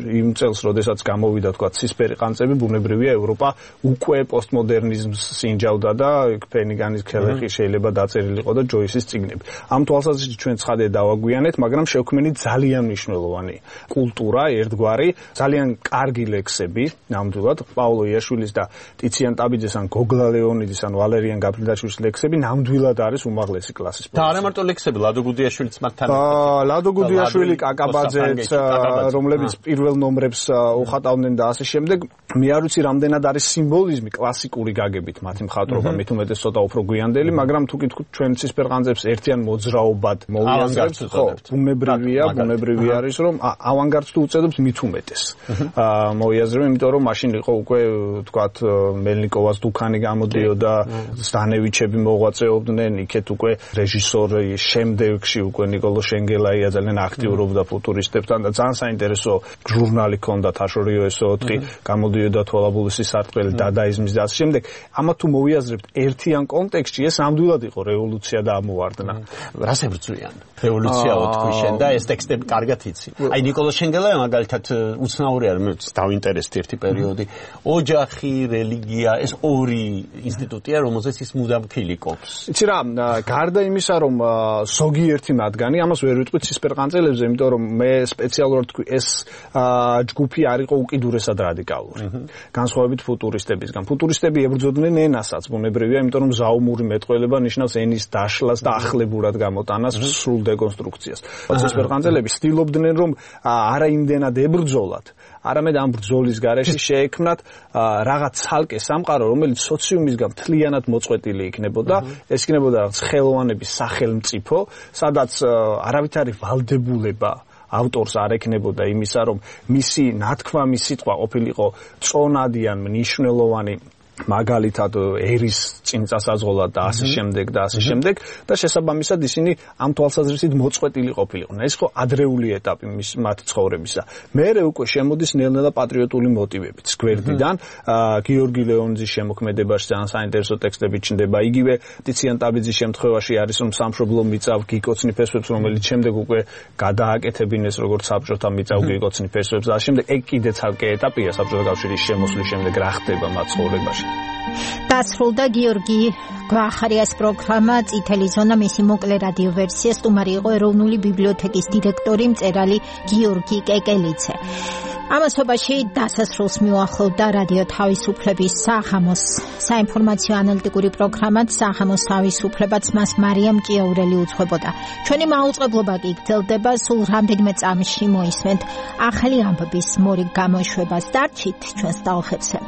იმ წელს, როდესაც გამოვიდა თქვათ ცისფერი ყანწები, ბუნებრივია ევროპა უკვე პოსტმოდერნიზმს სინჯავდა და ფენიგანის ქელეხი შეიძლება დაწერილიყო და ჯოისის წიგნები. ამ თვალსაზრისით ჩვენ ცხადია დავაგვიანეთ, მაგრამ შევქმნით ძალიან მნიშვნელოვანი კულტურა, ერთგვარი, ძალიან კარგი ლექსები, ნამდვილად, პაოლო იაშვილის და ტიციან ტაბიძეს ან გოგლა ლეონიდის ან ვალერიან გაფრინდაშვილის ლექსები ნამდვილად არის უმაღლესი კლასის. და არა მარტო ლექსები, ლადო გუდიაშვილიც მათთან. ლადო გუდიაშვილი, კაკაბაძეც, რომლებიც პირველ ნომრებს უხატავდნენ და ასე შემდეგ. მე არ ვიცი რამდენად არის სიმბოლიზმი კლასიკური გაგებით მათი მხატვრობა, მით უმეტეს ცოტა უფრო გვიანდელი, მაგრამ თუ კითხავთ ჩვენ ცისფერ ყანწებს ერთიან მოძრაობად მოვიაზრებთ, ხო, ბუნებრივი არის, რომ ავანგარდს თუ უწოდებთ მით უმეტეს. მოვიაზრებთ, იმიტომ რომ მაშინ იყო უკვე თქვათ მელნიკოვას დუქანი გამოდიოდა, სტანევიჩები მოღვაწეობდნენ, იქეთ უკვე რეჟისორი, შემდეგში უკვე ნიკოლო შენგელაია ძალიან აქტიურობდა ფუტურისტებთან და ძალიან საინტერესო ჟურნალი ჰქონდა თაშორიო SO4, გამოდიოდა თვალაბულისის სარტყელი, დადაიზმის და ასე შემდეგ. ამათ თუ მოვიაზრებთ ერთიან კონტექსტში, ეს ნამდვილად იყო რევოლუცია და ამოვარდნა. რას ებრძვიან? რევოლუცია თქვი შენ და ეს ტექსტები კარგად იცი. აი ნიკოლო შენგელაია მაგალითად უცნაური არის, მე დავინტერესდი ერთი პერიოდი. ოჯახი, რელიგია, ეს ორი ინსტიტუტია, რომელზეც ის მუდამ ქილიკობს. იცი რა, გარდა იმისა, რომ რომ ზოგიერთი მათგანი, ამას ვერ ვიტყვით ცისფერყანწელებზე, იმიტომ რომ მე სპეციალურად თქვი ეს ჯგუფი არ იყო უკიდურესად რადიკალური. განსხვავებით ფუტურისტებისგან. ფუტურისტები ებრძოდნენ ენასაც, ბუნებრივია, იმიტომ რომ ზაუმური მეტყველება ნიშნავს ენის დაშლას და ახლებურად გამოტანას, სრულ დეკონსტრუქციას. ცისფერყანწელები ცდილობდნენ რომ არა იმდენად ებრძოლათ, არამედ ამ ბრძოლის გარეშე შეექმნათ რაღაც ცალკე სამყარო, რომელიც სოციუმისგან მთლიანად მოწყვეტილი იქნებოდა. ეს იქნებოდა რაღაც ხელოვანების სახელმწიფო, სადაც არავითარი ვალდებულება ავტორს არ ექნებოდა იმისა, რომ მისი ნათქვამი სიტყვა ყოფილიყო წონადი ან მნიშვნელოვანი, მაგალითად ერის წინწასაზღოლად და ასე შემდეგ და ასე შემდეგ და შესაბამისად ისინი ამ თვალსაზრისით მოწყვეტილი ყოფილიყვნენ. ეს ხო ადრეული ეტაპი მათ ცხოვრებისა. მერე უკვე შემოდის ნელ-ნელა პატრიოტული მოტივებიც გვერდიდან. გიორგი ლეონიძის შემოქმედებაში ძალიან საინტერესო ტექსტები ჩნდება. იგივე ტიციან ტაბიძის შემთხვევაში არის რომ სამშობლო მიწავ გიკოცნი ფესვებს, რომელიც შემდეგ უკვე გადააკეთებინეს როგორც საბჭოთა მიწავ გიკოცნი ფესვებს და ამ შემდეგ ეგ კიდე ცალკე ეტაპია საბჭოთა კავშირის შემოსვლის შემდეგ რა ხდება მათ ცხოვრებაში. დასრულდა გიორგი გვახარიას პროგრამა წითელი ზონა, მისი მოკლე რადიო ვერსია. სტუმარი იყო ეროვნული ბიბლიოთეკის დირექტორი მწერალი გიორგი კეკელიძე. ამასობაში დასასრულს მიუახლოვდა რადიო თავისუფლების საღამოს საინფორმაციო ანალიტიკური პროგრამაც საღამოს თავისუფლებაც, მას მარიამ ჭიაურელი უძღვებოდა. ჩვენი მაუწყებლობა კი გრძელდება, სულ რამდენიმე წამში მოისმენთ ახალი ამბების მორიგ გამოშვებას. დარჩით ჩვენს ტალღებზე.